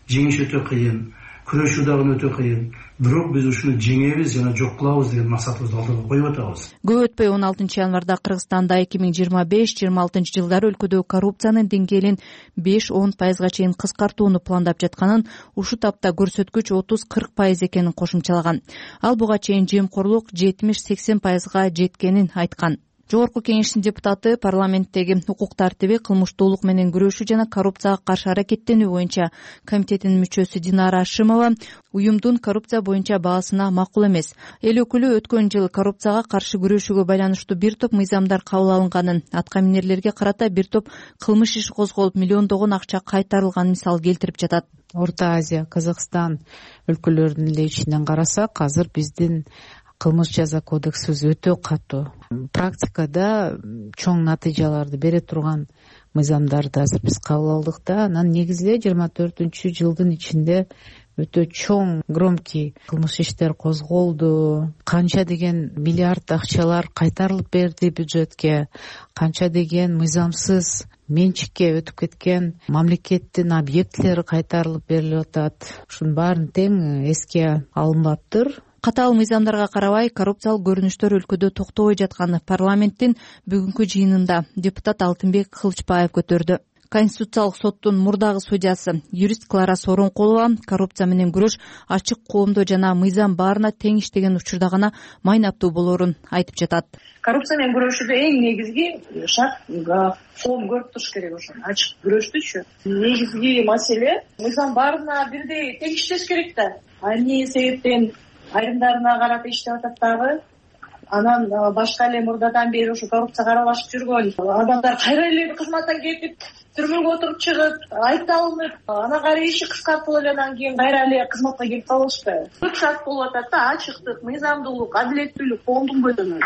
Жеңиш өтө кыйын. Күрөшүү дагы өтө кыйын. Бирок биз ушуну жеңебиз жана жок кылабыз деген максатыбызды алдыга коюп атабыз. Көп өтпөй 16-январда Кыргызстанда 2025-26 жылдары өлкөдө коррупциянын деңгээлин 5-10% чейин кыскартууну пландап жатканын, ушу тапта көрсөткүч 30-40% экенин кошумчалаган. Ал буга чейин жемкорлук 70-80% жеткенин айткан. Жогорку кеңештин депутаты парламенттеги укук тартиби, кылмыштуулук менен күрөшүү жана коррупцияга каршы аракеттенүү боюнча комитетинин мүчөсү Динара Ашимова уюмдун коррупция боюнча баасына макул эмес. Эл өкүлү өткөн жыл коррупцияга каршы күрөшүүгө байланыштуу бир топ мыйзамдар кабыл алынганын, атка минерлерге карата бир топ кылмыш иши козголуп, миллиондогон акча кайтарылганын мисал келтирип жатат. Орто Азия, Казакстан өлкөлөрүнүн эле ичинен карасак, азыр биздин кылмыш жаза кодексибиз өтө катуу. Практикада чоң натыйжаларды бере турган мыйзамдарды азыр биз кабыл алдык да. Анан негизинен 24-жылдын ичинде өтө чоң, громкий кылмыш иштер козголду. Канча деген миллиард акчалар кайтарылып берди бюджетке, канча деген мыйзамсыз менчикке өтүп кеткен мамлекеттин объектилери кайтарылып берилип атат. Ушунун баарын тең эске алынбаптыр. Катаал мыйзамдарга карабай, коррупциялык көрүнүштөр өлкөдө токтобой жатканы парламенттин бүгүнкү жыйынында депутат Алтынбек Кылычбаев көтөрдү. Конституциялык соттун мурдагы судьясы юрист Клара Соронкулова коррупция менен күрөш ачык, коомдоо жана мыйзам баарына тең иштеген учурда гана майнаптуу болоорун айтып жатат. Коррупция менен күрөшүүдө эң негизги шарт коом көрүп туруш керек. Ошо ачык күрөштүчү негизги маселе мыйзам баарына бирдей тең иштеш керек да. Эмне себептен айрымдарына карата иштеп атат дагы. Анан башка эле мурдадан бери ушу коррупцияга аралашып жүргөн адамдар кайра эле кызматтан кетип, түрмөгө отуруп чыгып, айыпталынып, анан кайра иши кыскартылып эле анан кийин кайра эле кызматка келип калышпайбы. Көп шарт болуп атат да: ачыктык, мыйзамдуулук, адилеттүүлүк, коомдун бойдон.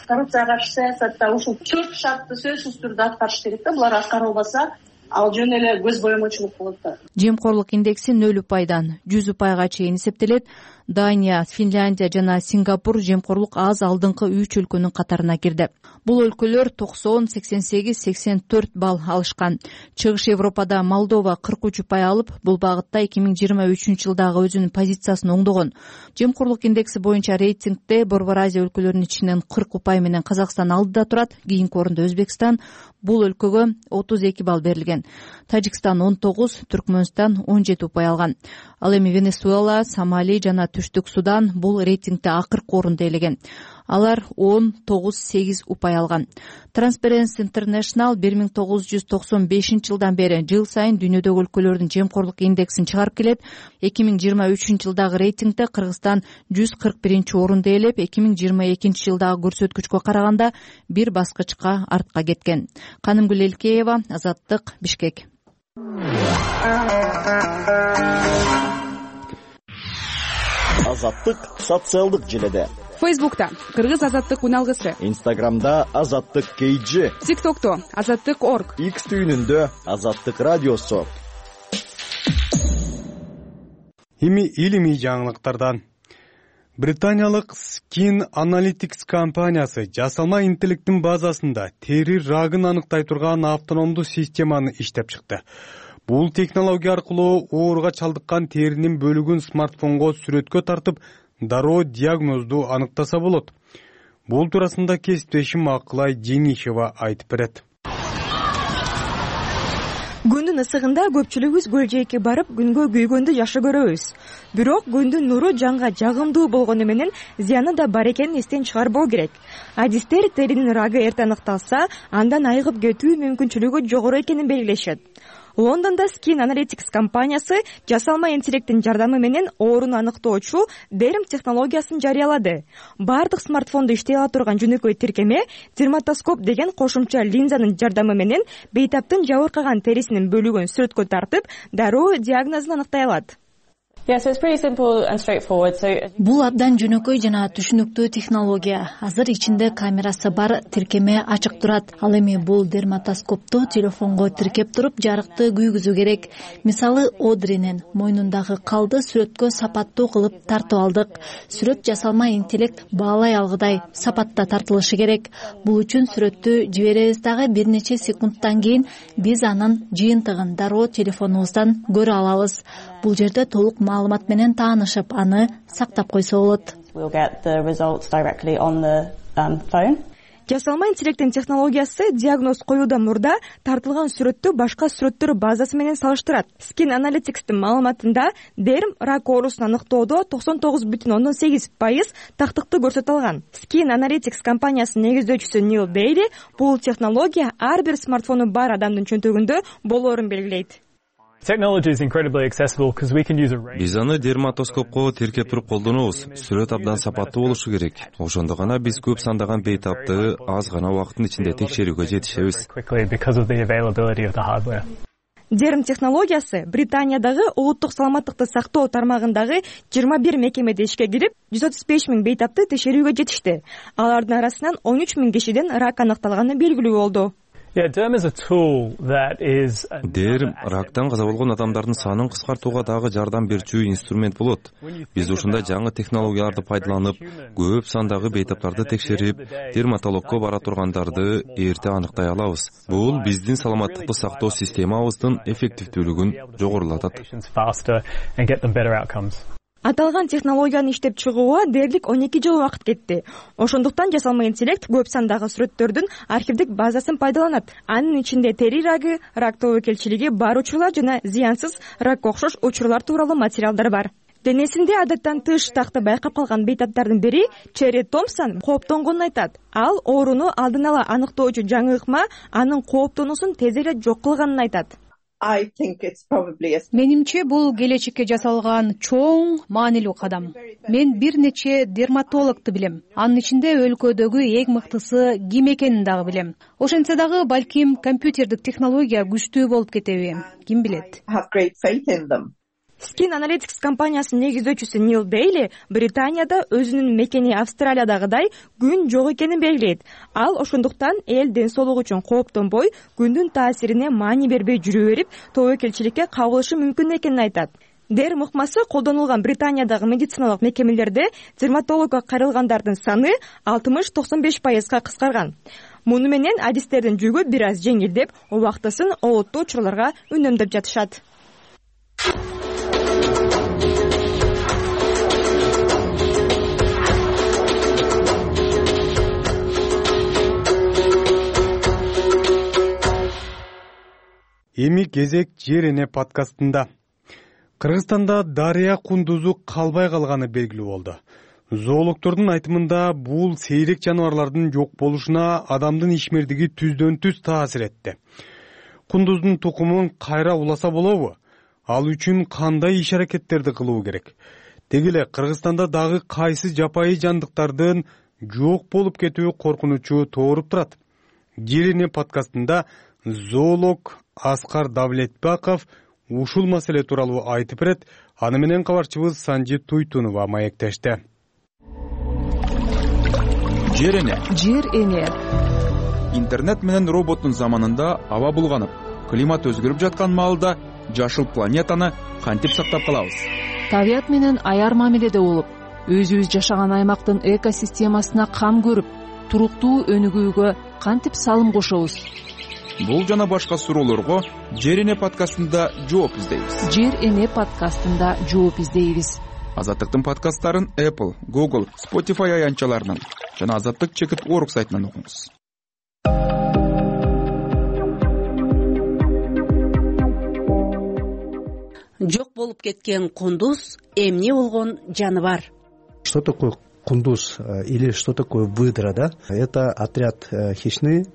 Коррупцияга каршы саясатта ушул 4 шартты сөзсүз түрдө аткарыш керек да. Булар аткарылбаса, ал жөн эле көз боемочулук болот да. Жемкорлук индекси 0%, 100% чейин эсептелет. Дания, Финляндия жана Сингапур жемкорлук аз алдыңкы 3 өлкөнүн катарына кирди. Бул өлкөлөр 90, 88, 84 балл алышкан. Чыгыш Европада Молдова 43% алып, бул багытта 2023 жылдагы өзүнүн позициясын оңдогон. Жемкорлук индекси боюнча рейтингде Борбор Азия өлкөлөрүнүн ичинен 40% менен Казакстан алдыда турат. Кийинки орунда Өзбекстан. Бул өлкөгө 32 балл берилген. Тажикстан 19, Түркмөнстан 17% алган. Ал эми Венесуэла, Сомали жана Түштүк Судан бул рейтингде акыркы орунду ээлеген. Алар 10-9-8% алган. Transparency International 1995 жылдан бери жыл сайын дүйнөдөгү өлкөлөрдүн жемкорлук индексин чыгарып келет. 2023 жылдагы рейтингде Кыргызстан 141 орунду ээлеп, 2022 жылдагы көрсөткүчкө караганда бир баскычка артка кеткен. Канымгүл Элкеева, Азаттык, Бишкек. Азаттык социалдык желеде. Фейсбукта Кыргыз азаттык уналгысы. Инстаграмда Азаттык KG. ТикТокто Азаттык.org. X түйүнүндө Азаттык радиосу. Эми илимий жаңылыктардан. Британиялык Skin Analytics компаниясы жасалма интеллекттин базасында тери рагын аныктай турган автономдуу системаны иштеп чыкты. Бул технология аркылуу ооруга чалдыккан теринин бөлүгүн смартфонго сүрөткө тартып, дароо диагнозду аныктаса болот. Бул туурасында кесиптешим Акылай Женишева айтып берет. Күндүн ысыгында көпчүлүгүбүз көл жээкке барып күнгө күйгөндү жакшы көрөбүз. Бирок күндүн нуру жанга жагымдуу болгону менен зыяны да бар экенин эстен чыгарбоо керек. Адистер теринин рагы эрте аныкталса, андан айыгып кетүү мүмкүнчүлүгү жогору экенин белгилешет. Лондондо Skin Analytics компаниясы жасалма интеллекттин жардамы менен ооруну аныктоочу DERM технологиясын жарыялады. Бардык смартфондо иштей ала турган жөнөкөй тиркеме дерматоскоп деген кошумча линзанын жардамы менен бейтаптын жабыркаган терисинин бөлүгүн сүрөткө тартып, дароо диагнозун аныктай алат. Бул абдан жөнөкөй жана түшүнүктүү технология. Азыр ичинде камерасы бар тиркеме ачык турат. Ал эми бул дерматоскопту телефонго тиркеп туруп жарыкты күйгүзүү керек. Мисалы, Одринин мойнундагы калды сүрөткө сапаттуу кылып тартып алдык. Сүрөт жасалма интеллект баалай алгыдай сапатта тартылышы керек. Бул үчүн сүрөттү жиберебиз дагы бир нече секундтан кийин биз анын жыйынтыгын дароо телефонубуздан көрө алабыз. Бул жерде толук маалымат менен таанышып, аны сактап койсо болот. Жасалма интеллекттин технологиясы диагноз коюудан мурда тартылган сүрөттү башка сүрөттөр базасы менен салыштырат. Skin Analytics'тин маалыматында DERM рак оорусун аныктоодо 99,8% тактыкты көрсөтө алган. Skin Analytics компаниясынын негиздөөчүсү Нил Бейли бул технология ар бир смартфону бар адамдын чөнтөгүндө болоорун белгилейт. Биз аны дерматоскопко тиркеп туруп колдонобуз. Сүрөт абдан сапаттуу болушу керек. Ошондо гана биз көп сандаган бейтапты аз гана убакыттын ичинде текшерүүгө жетишебиз. DERM технологиясы Британиядагы улуттук саламаттыкты сактоо тармагындагы 21 мекемеде ишке кирип, 135 000 бейтапты текшерүүгө жетишти. Алардын арасынан 13 000 кишиден рак аныкталганы белгилүү болду. DERM рактан каза болгон адамдардын санын кыскартууга дагы жардам берчү инструмент болот. Биз ушундай жаңы технологияларды пайдаланып, көп сандагы бейтаптарды текшерип, дерматологко бара тургандарды эрте аныктай алабыз. Бул биздин саламаттыкты сактоо системабыздын эффективдүүлүгүн жогорулатат. Аталган технологияны иштеп чыгууга дээрлик 12 жыл убакыт кетти. Ошондуктан жасалма интеллект көп сандагы сүрөттөрдүн архивдик базасын пайдаланат. Анын ичинде тери рагы, рак тобокелчилиги бар учурлар жана зыянсыз ракка окшош учурлар тууралуу материалдар бар. Денесинде адаттан тыш такты байкап калган бейтаптардын бири Черри Томпсон кооптонгонун айтат. Ал ооруну алдын ала аныктоочу жаңы ыкма анын кооптонуусун тез эле жок кылганын айтат. Менимче бул келечекке жасалган чоң маанилүү кадам. Мен бир нече дерматологду билем. Анын ичинде өлкөдөгү эң мыктысы ким экенин дагы билем. Ошентсе дагы балким компьютердик технология күчтүү болуп кетеби, ким билет. Skin Analytics компаниясынын негиздөөчүсү Нил Бейли Британияда өзүнүн мекени Австралиядагыдай күн жок экенин белгилейт. Ал ошондуктан эл ден соолугу үчүн кооптонбой, күндүн таасирине маани бербей жүрө берип, тобокелчиликке кабылышы мүмкүн экенин айтат. DERM ыкмасы колдонулган Британиядагы медициналык мекемелерде дерматологко кайрылгандардын саны 60-95%га кыскарган. Муну менен адистердин жүгү бир аз жеңилдеп, убактысын олуттуу учурларга үнөмдөп жатышат. Эми кезек Жер эне подкастында. Кыргызстанда дарыя кундузу калбай калганы белгилүү болду. Зоологдордун айтымында бул сейрек жаныбарлардын жок болушуна адамдын ишмердиги түздөн түз таасир этти. Кундуздун тукумун кайра уласа болобу? Ал үчүн кандай иш-аракеттерди кылуу керек? Деги эле Кыргызстанда дагы кайсы жапайы жандыктардын жок болуп кетүү коркунучу тооруп турат? Жер эне подкастында зоолог Аскар Давлетбаков ушул маселе тууралуу айтып берет. Аны менен кабарчыбыз Санжи Туйтунова маектешти. Жер эне. Жер эне. Интернет менен роботтун заманында аба булганып, климат өзгөрүп жаткан маалда жашыл планетаны кантип сактап калабыз? Табият менен аяр мамиледе болуп, өзүбүз жашаган аймактын экосистемасына кам көрүп, туруктуу өнүгүүгө кантип салым кошобуз? Бул жана башка суроолорго Жер эне подкастында жооп издейбиз. Жер эне подкастында жооп издейбиз. Азаттыктын подкасттарын Apple, Google, Spotify аянтчаларынан жана Азаттык / .org сайтынан окуңуз. Жер эне подкастында жооп издейбиз. Азаттык подкастарын Apple, Google, Spotify аянтчаларынан жана Азаттык / .org сайтынан окуңуз. 1 Жок болуп кеткен кундуз эмне болгон жаныбар? Что такое кундуз или что такое выдра, да? Это отряд хищный,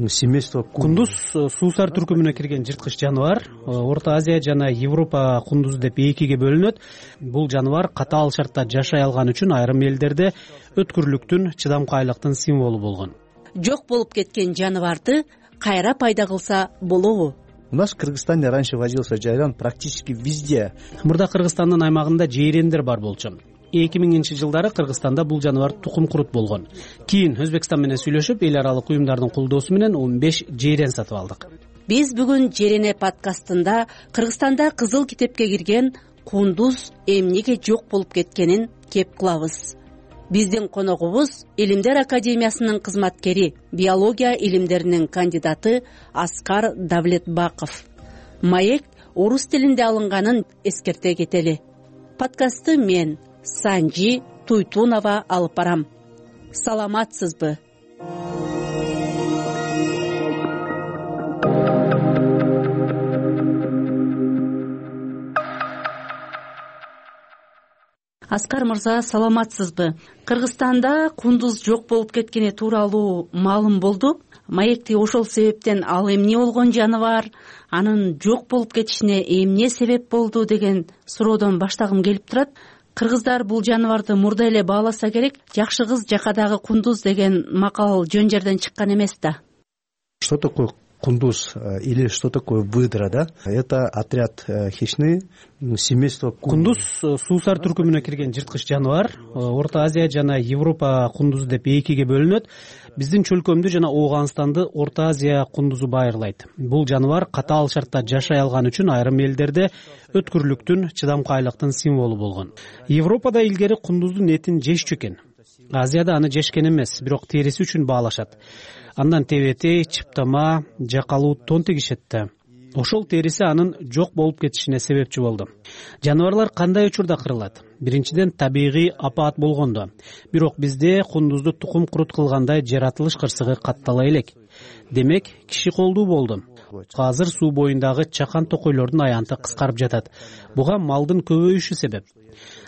семейство кундуз суусар түркүмүнө кирген жырткыч жаныбар. Орто Азия жана Европа кундузу деп экиге бөлүнөт. Бул жаныбар катаал шартта жашай алган үчүн айрым элдерде өткүрлүктүн, чыдамкайлыктын символу болгон. Жок болуп кеткен жаныбарды кайра пайда кылса болобу? У нас в Кыргызстане раньше водился жайран практически везде. Мурда Кыргызстандын аймагында жейрендер бар болчу. 2000-жылдары Кыргызстанда бул жаныбар тукум курут болгон. Кийин Өзбекстан менен сүйлөшүп, эл аралык уюмдардын колдоосу менен 15 жейрен сатып алдык. Биз бүгүн Жерене подкастында Кыргызстанда кызыл китепке кирген кундуз эмнеге жок болуп кеткенин кеп кылабыз. Биздин коногубуз Илимдер академиясынын кызматкери, биология илимдеринин кандидаты Аскар Давлетбаков. Маек орус тилинде алынганын эскерте кетели. Подкастты мен Санжи Туйтунова алып барам. Саламатсызбы? Аскар мырза, саламатсызбы? Кыргызстанда кундуз жок болуп кеткени тууралуу маалым болду. Маекти ошол себептен ал эмне болгон жаныбар, анын жок болуп кетишине эмне себеп болду деген суроодон баштагым келип турат. Кыргыздар бул жаныбарды мурда эле бааласа керек. Жакшы кыз жакадагы кундуз деген макал жөн жерден чыккан эмес да. Что такое кундуз или что такое выдра, да? Это отряд хищный, семейство кундуз суусар түркүмүнө кирген жырткыч жаныбар. Орто Азия жана Европа кундузу деп экиге бөлүнөт. Биздин чөлкөмдү жана Ооганстанды Орто Азия кундузу байырлайт. Бул жаныбар катаал шартта жашай алган үчүн айрым элдерде өткүрлүктүн, чыдамкайлыктын символу болгон. Европада илгери кундуздун этин жешчү экен. Азияда аны жешкен эмес, бирок териси үчүн баалашат. Андан тебетей, чыптама, жакалуу тон тигишет да. Ошол териси анын жок болуп кетишине себепчи болду. Жаныбарлар кандай учурда кырылат? Биринчиден, табигый апаат болгондо. Бирок бизде кундузду тукум курут кылгандай жаратылыш кырсыгы каттала элек. Демек, киши колдуу болду. Азыр суу боюндагы чакан токойлордун аянты кыскарып жатат. Буга малдын көбөйүшү себеп.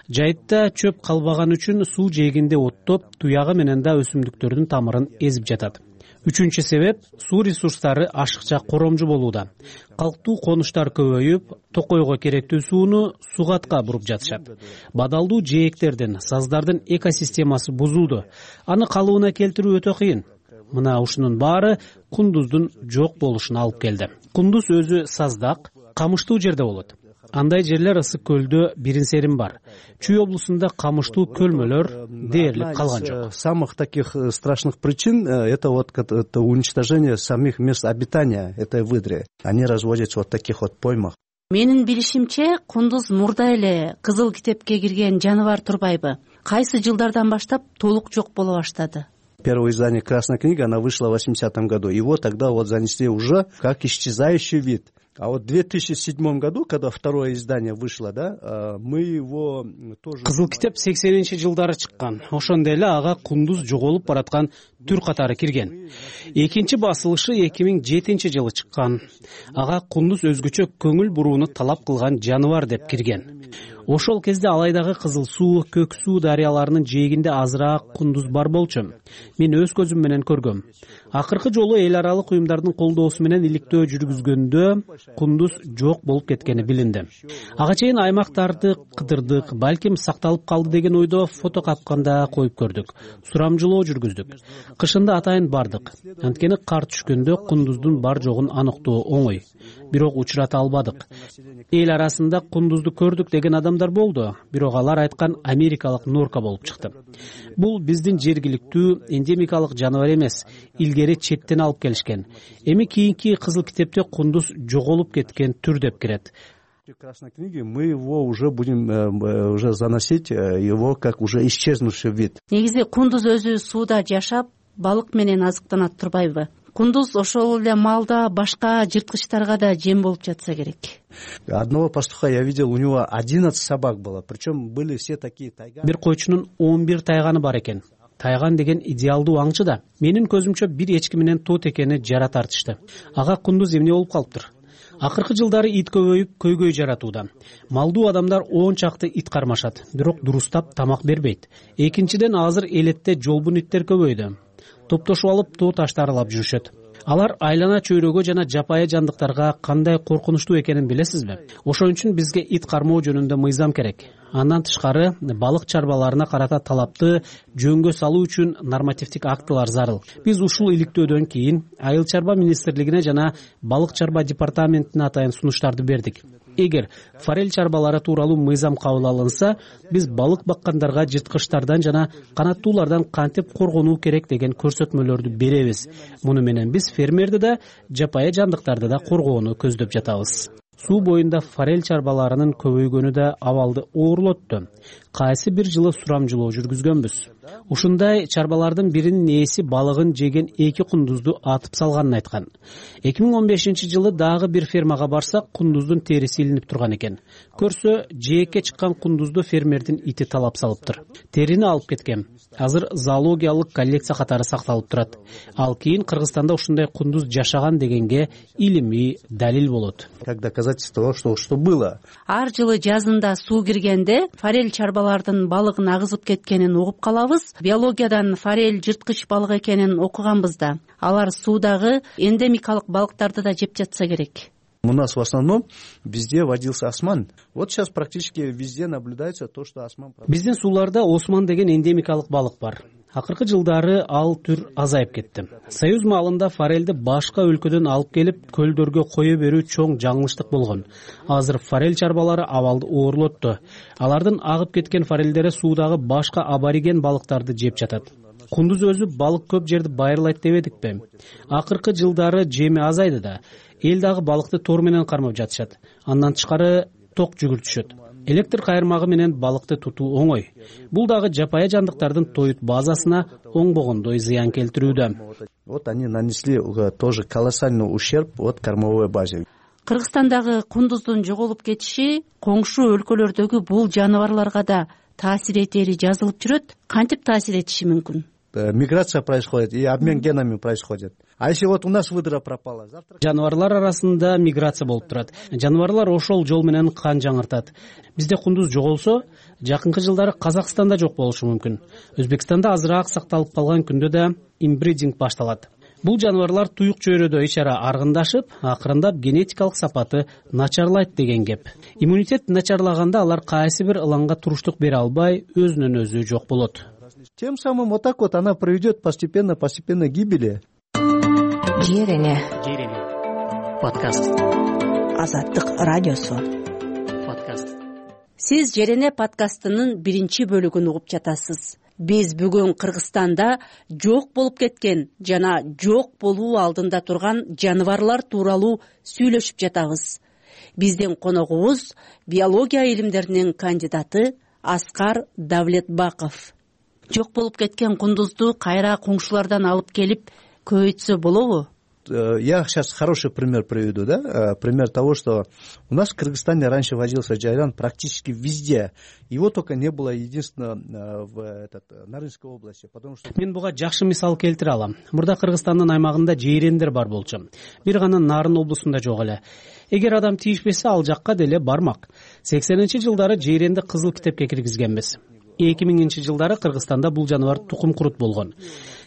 Жайытта чөп калбаган үчүн суу жээгинде оттоп, туягы менен да өсүмдүктөрдүн тамырын эзип жатат. Үчүнчү себеп, суу ресурстары ашыкча коромжу болууда. Калктуу конуштар көбөйүп, токойго керектүү сууну сугатка буруп жатышат. Бадалдуу жээктердин, саздардын экосистемасы бузулду. Аны калыбына келтирүү өтө кыйын. Мына ушунун баары кундуздун жок болушуна алып келди. Кундуз өзү саздак, камыштуу жерде болот. Андай жерлер ысык көлдө бирин-серин бар. Чүй облусунда камыштуу көлмөлөр дээрлик калган жок. Самых таких страшных причин это вот это уничтожение самих мест обитания этой выдры. Они разводятся вот в таких вот поймах. Менин билишимче, кундуз мурда эле кызыл китепке кирген жаныбар турбайбы? Кайсы жылдардан баштап толук жок боло баштады? Первое издание «Красная книга», она вышла в 80-м году. Его тогда вот занесли уже как исчезающий вид. А вот в 2007 году, когда второе издание вышло, да, мы его тоже... Кызыл китеп 80-жылдары чыккан. Ошондо эле ага кундуз жоголуп бараткан түр катары кирген. Экинчи басылышы 2007-жылы чыккан. Ага кундуз өзгөчө көңүл бурууну талап кылган жаныбар деп кирген. Ошол кезде алайдагы Кызыл суу, Көк суу дарыяларынын жээгинде азыраак кундуз бар болчу. Мен өз көзүм менен көргөм. Акыркы жолу эл аралык уюмдардын колдоосу менен иликтөө жүргүзгөндө кундуз жок болуп кеткени билинди. Ага чейин аймактарды кыдырдык, балким сакталып калды деген ойдо фото капканда коюп көрдүк. Сурамжылоо жүргүздүк. Кышында атайын бардык. Анткени кар түшкөндө кундуздун бар жогун аныктоо оңой. Бирок учурата албадык. Эл арасында кундузду көрдүк деген адамдар болду, бирок алар айткан америкалык норка болуп чыкты. Бул биздин жергиликтүү эндемикалык жаныбар эмес, илгери четтен алып келишкен. Эми кийинки Кызыл китепте кундуз жоголуп кеткен түр деп кирет. В Красной книге мы его уже будем уже заносить его как уже исчезнувший вид. Негизи кундуз өзү сууда жашап, балык менен азыктанат турбайбы? Кундуз ошол эле маалда башка жырткычтарга да жем болуп жатса керек. Одного пастуха я видел, у него 11 собак было, причем были все такие тайганы. Бир койчунун 11 тайганы бар экен. Тайган деген идеалдуу аңчы да. Менин көзүмчө бир эчки менен тот экени жара тартышты. Ага кундуз эмне болуп калыптыр? Акыркы жылдары ит көбөйүп көйгөй жаратууда. Малдуу адамдар 10 чакты ит кармашат, бирок дурустап тамак бербейт. Экинчиден, азыр элетте жолбун иттер көбөйдү. Топтошуп алып тоо таштарды аралап жүрүшөт. Алар айлана чөйрөгө жана жапайы жандыктарга кандай коркунучтуу экенин билесизби? Ошон үчүн бизге ит кармоо жөнүндө мыйзам керек. Андан тышкары, балык чарбаларына карата талапты жөнгө салуу үчүн нормативдик актылар зарыл. Биз ушул иликтөөдөн кийин Айыл чарба министрлигине жана балык чарба департаментине атайын сунуштарды бердик. Эгер форель чарбалары тууралуу мыйзам кабыл алынса, биз балык баккандарга жырткычтардан жана канаттуулардан кантип коргонуу керек деген көрсөтмөлөрдү беребиз. Муну менен биз фермерди да, жапайы жандыктарды да коргоону көздөп жатабыз. Суу боюнда форель чарбаларынын көбөйгөнү да абалды оорлотту. Кайсы бир жылы сурамжылоо жүргүзгөнбүз. Ушундай чарбалардын биринин ээси балыгын жеген 2 кундузду атып салганын айткан. 2015-жылы дагы бир фермага барсак, кундуздун териси илинип турган экен. Көрсө, жээкке чыккан кундузду фермердин ити талап салыптыр. Терини алып кеткен. Азыр зоологиялык коллекция катары сакталып турат. Ал кийин Кыргызстанда ушундай кундуз жашаган дегенге илимий далил болот. Как доказательство, что было. Ар жылы жазында суу киргенде форель чарбалардын балыгын агызып кеткенин угуп калабыз. Биологиядан форель жырткыч балык экенин окуганбыз да. Алар суудагы эндемикалык балыктарды да жеп жатса керек. У нас в основном везде водился осман. Вот сейчас практически везде наблюдается то, что осман. Биздин сууларда осман деген эндемикалык балык бар. Акыркы жылдары ал түр азайып кетти. Союз маалында форельди башка өлкөдөн алып келип көлдөргө кое берүү чоң жаңылыштык болгон. Азыр форель чарбалары абалды оорлотту. Алардын агып кеткен форельдери суудагы башка абориген балыктарды жеп жатат. Кундуз өзү балык көп жерди байырлайт дебедикпи? Акыркы жылдары жеми азайды да. Эл дагы балыкты тор менен кармап жатышат. Андан тышкары ток жүгүртүшөт. Электр кайырмагы менен балыкты тутуу оңой. Бул дагы жапайы жандыктардын тоют базасына оңбогондой зыян келтирүүдө. Вот они нанесли тоже колоссальный ущерб от кормовой базе. Кыргызстандагы кундуздун жоголуп кетиши коңшу өлкөлөрдөгү бул жаныбарларга да таасир этери жазылып жүрөт. Кантип таасир этиши мүмкүн? Миграция происходит и обмен генами происходит. А если вот у нас выдра пропала, завтра... Жаныбарлар арасында миграция болуп турат. Жаныбарлар ошол жол менен кан жаңыртат. Бизде кундуз жоголсо, жакынкы жылдары Казакстанда жок болушу мүмкүн. Өзбекстанда азыраак сакталып калган күндө да инбридинг башталат. Бул жаныбарлар туюк чөйрөдө ичара аргындашып, акырындап генетикалык сапаты начарлайт деген кеп. Иммунитет начарлаганда алар кайсы бир ылаңга туруштук бере албай, өзүнөн өзү жок болот. Тем самым вот так вот она приведет постепенно к гибели. Жерене подкаст. Азаттык радиосу подкаст. Сиз Жерене подкастынын биринчи бөлүгүн угуп жатасыз. Биз бүгүн Кыргызстанда жок болуп кеткен жана жок болуу алдында турган жаныбарлар тууралуу сүйлөшүп жатабыз. Биздин коногубуз биология илимдеринин кандидаты Аскар Давлетбаков. Жок болуп кеткен кундузду кайра коңшулардан алып келип көбөйтсө болобу? Я сейчас хороший пример приведу, да? Пример того, что у нас в Кыргызстане раньше водился джайран практически везде. Его только не было единственно в Нарынской области, потому что... Мен буга жакшы мисал келтире алам. Мурда Кыргызстандын аймагында жейрендер бар болчу. Бир гана Нарын облусунда жок эле. Эгер адам тийишпесе, ал жакка деле бармак. 80-жылдары жейренди кызыл китепке киргизгенбиз. 2000-жылдары Кыргызстанда бул жаныбар тукум курут болгон.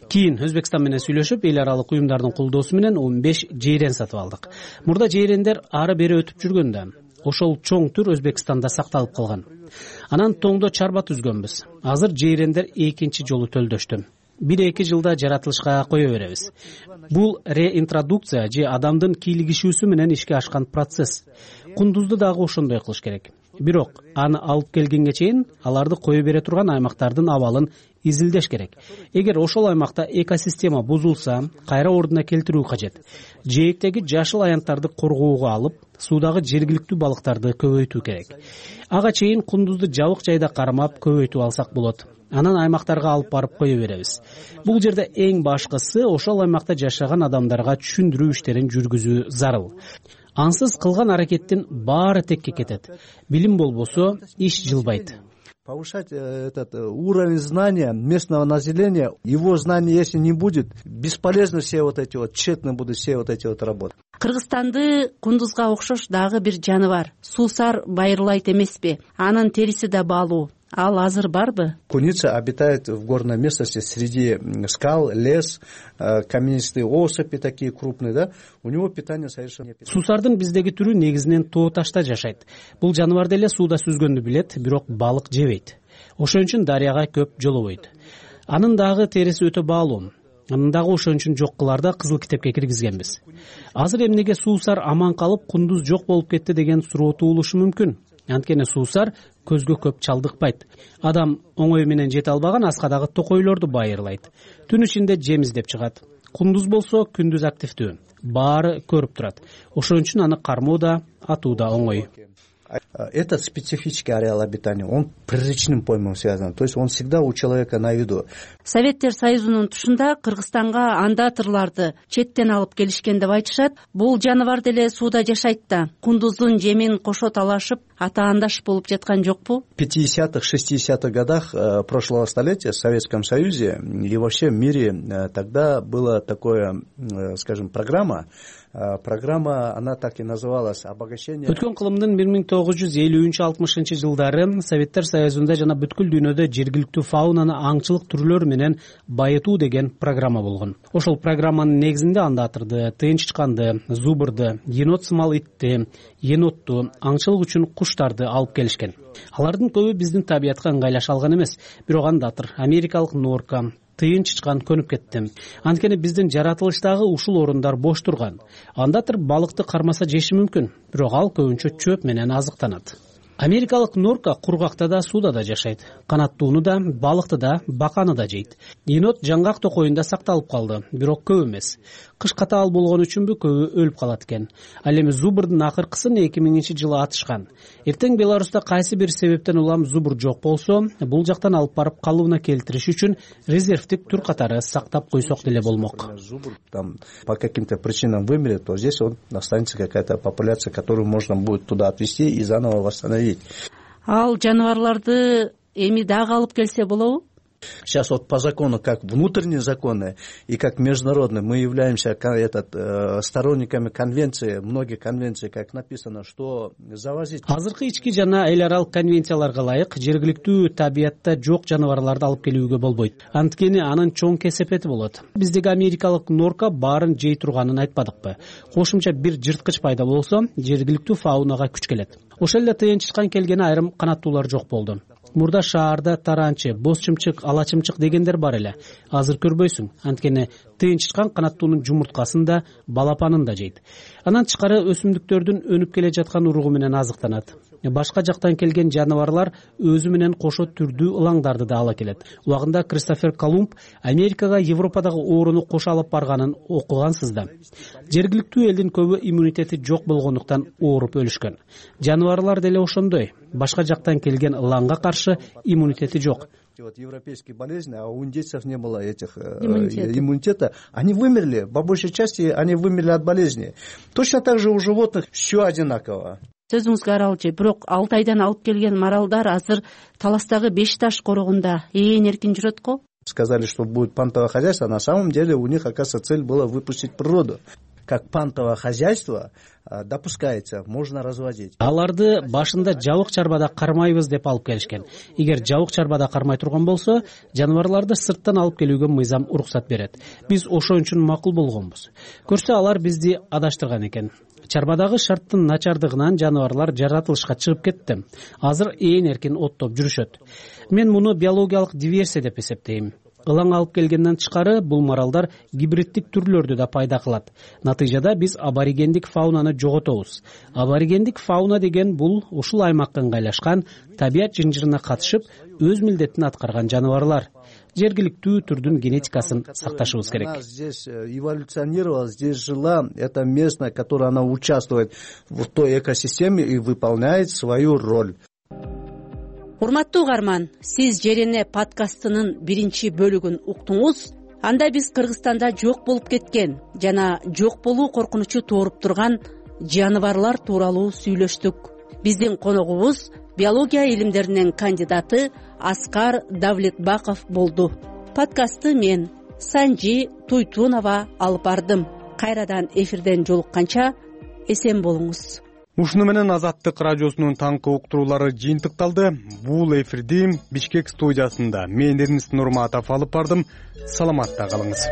Кийин Өзбекстан менен сүйлөшүп, эл аралык уюмдардын колдоосу менен 15 жейрен сатып алдык. Мурда жейрендер ары бери өтүп жүргөндө, ошол чоң түр Өзбекстанда сакталып калган. Анан тоңдо чарба түзгөнбүз. Азыр жейрендер экинчи жолу төлдөштү. 1-2 жылда жаратылышка кое беребиз. Бул реинтродукция же адамдын кийлигишүүсү менен ишке ашкан процесс. Кундузду дагы ошондой кылыш керек. Бирок аны алып келгенге чейин аларды кое бере турган аймактардын абалын изилдеш керек. Эгер ошол аймакта экосистема бузулса, кайра ордуна келтирүү кажет. Жээктеги жашыл аянттарды коргоого алып, суудагы жергиликтүү балыктарды көбөйтүү керек. Ага чейин кундузду жабык жайда кармап көбөйтүп алсак болот. Анан аймактарга алып барып кое беребиз. Бул жерде эң башкысы ошол аймакта жашаган адамдарга түшүндүрүү иштерин жүргүзүү зарыл. Ансыз кылган аракеттин баары текке кетет. Билим болбосо, иш жылбайт. повышать этот уровень знания местного населения. Его знания, если не будет, бесполезно все вот эти вот, тщетно будут все вот эти вот работы. Кыргызстанды кундузга окшош дагы бир жаны бар. Суусар байырлайт эмеспи? Анын териси да баалуу. Ал азыр барбы? Куница обитает в горной местности среди скал, лес, каменистые осыпи такие крупные, да? У него питание совершенно... Суусардын биздеги түрү негизинен тоо ташта жашайт. Бул жаныбар деле сууда сүзгөндү билет, бирок балык жебейт. Ошон үчүн дарыяга көп жолобойт. Анын дагы териси өтө баалуу. Анын дагы ошон үчүн жок кыларда кызыл китепке киргизгенбиз. Азыр эмнеге суусар аман калып, кундуз жок болуп кетти деген суроо туулушу мүмкүн. Анткени суусар көзгө көп чалдыкпайт. Адам оңой менен жете албаган аска дагы токойлорду байырлайт. Түн ичинде жем издеп чыгат. Кундуз болсо күндүз активдүү. Баары көрүп турат. Ошон үчүн аны кармоо да, атуу да оңой. Этот специфический ареал обитания, он приречным поймом связан, то есть он всегда у человека на виду. Советтер Союзунун тушунда Кыргызстанга андатырларды четтен алып келишкен деп айтышат. Бул жаныбар деле сууда жашайт да. Кундуздун жемин кошо талашып, атаандаш болуп жаткан жокпу? В 50-х, 60-х годах прошлого столетия в Советском Союзе и вообще в мире тогда была такая, скажем, программа, она так и называлась обогащение. Өткөн кылымдын 1950-60 жылдары Советтер Союзунда жана бүткүл дүйнөдө жергиликтүү фаунаны аңчылык түрлөрү менен байытуу деген программа болгон. Ошол программанын негизинде андатырды, тыйын чычканды, зубрды, енот сымал итти, енотту, аңчылык үчүн куштарды алып келишкен. Алардын көбү биздин табиятка ыңгайлаша алган эмес, бирок андатыр америкалык норка, тыйын чычкан көнүп кетти. Анткени биздин жаратылыштагы ушул орундар бош турган. Андатыр балыкты кармаса жеши мүмкүн, бирок ал көбүнчө чөп менен азыктанат. Америкалык норка кургакта да, сууда да жашайт. Канаттууну да, балыкты да, баканы да жейт. Енот жаңгак токоюнда сакталып калды, бирок көп эмес. Кыш катаал болгон үчүнбү көбү өлүп калат экен. Ал эми зубрдун акыркысын 2000-жылы атышкан. Эртең Беларуста кайсы бир себептен улам зубр жок болсо, бул жактан алып барып калыбына келтириш үчүн резервдик түр катары сактап койсок деле болмок. Зубр там по каким-то причинам вымрет, то здесь он останется какая-то популяция, которую можно будет туда отвезти и заново восстановить. Ал жаныбарларды эми дагы алып келсе болобу? Сейчас вот по закону, как внутренние законы и как международные, мы являемся сторонниками конвенции, многих конвенций, как написано, что завозить... Азыркы ички жана эл аралык конвенцияларга ылайык жергиликтүү табиятта жок жаныбарларды алып келүүгө болбойт. Анткени анын чоң кесепети болот. Биздеги америкалык норка баарын жей турганын айтпадыкпы? Кошумча бир жырткыч пайда болсо, жергиликтүү фаунага күч келет. Ошол эле тыйын чычкан келгени айрым канаттуулар жок болду. Мурда шаарда таранчы, боз чымчык, ала чымчык дегендер бар эле. Азыр көрбөйсүң, анткени тыйын чычкан канаттуунун жумурткасын да, балапанын да жейт. Анан тышкары өсүмдүктөрдүн өнүп келе жаткан уругу менен азыктанат. Башка жактан келген жаныбарлар өзү менен кошо түрдүү ылаңдарды да ала келет. Убагында Кристофер Колумб Америкага Европадагы ооруну кошо алып барганын окугансыз да. Жергиликтүү элдин көбү иммунитети жок болгондуктан ооруп өлүшкөн. Жаныбарлар деле ошондой. Башка жактан келген ылаңга каршы иммунитети жок. Вот европейские болезни, а у индейцев не было этих иммунитета. Они вымерли, по большей части они вымерли от болезни. Точно так же у животных все одинаково. Сөзүңүзгө аралчы, бирок Алтайдан алып келген маралдар азыр Таластагы Бешташ корогунда ээн эркин жүрөт го? Сказали, что будет пантовое хозяйство, на самом деле у них, оказывается, цель была выпустить природу. Как пантовое хозяйство допускается, можно разводить. Аларды башында жабык чарбада кармайбыз деп алып келишкен. Эгер жабык чарбада кармай турган болсо, жаныбарларды сырттан алып келүүгө мыйзам уруксат берет. Биз ошон үчүн макул болгонбуз. Көрсө алар бизди адаштырган экен. Чарбадагы шарттын начардыгынан жаныбарлар жаратылышка чыгып кетти. Азыр ээн эркин оттоп жүрүшөт. Мен муну биологиялык диверсия деп эсептейм. Ылаң алып келгенден тышкары бул маралдар гибриддик түрлөрдү да пайда кылат. Натыйжада биз аборигендик фаунаны жоготобуз. Аборигендик фауна деген бул ушул аймакка ыңгайлашкан, табият жынжырына катышып, өз милдетин аткарган жаныбарлар. Жергиликтүү түрдүн генетикасын сакташыбыз керек. Она здесь эволюционировала, здесь жила, это местная, которая она участвует в той экосистеме и выполняет свою роль. Урматтуу угарман, сиз Жерене подкастынын биринчи бөлүгүн уктуңуз. Анда биз Кыргызстанда жок болуп кеткен жана жок болуу коркунучу тууруп турган жаныбарлар тууралуу сүйлөштүк. биздин коногубуз биология илимдеринин кандидаты Аскар Давлетбаков болду. Подкастты мен Санжи Туйтунова алып бардым. Кайрадан эфирден жолукканча эсен болуңуз. Ушуну менен Азаттык радиосунун таңкы уктуруулары жыйынтыкталды. Бул эфирди Бишкек студиясында мен Эрнест Нурматов алып бардым. Саламатта калыңыз.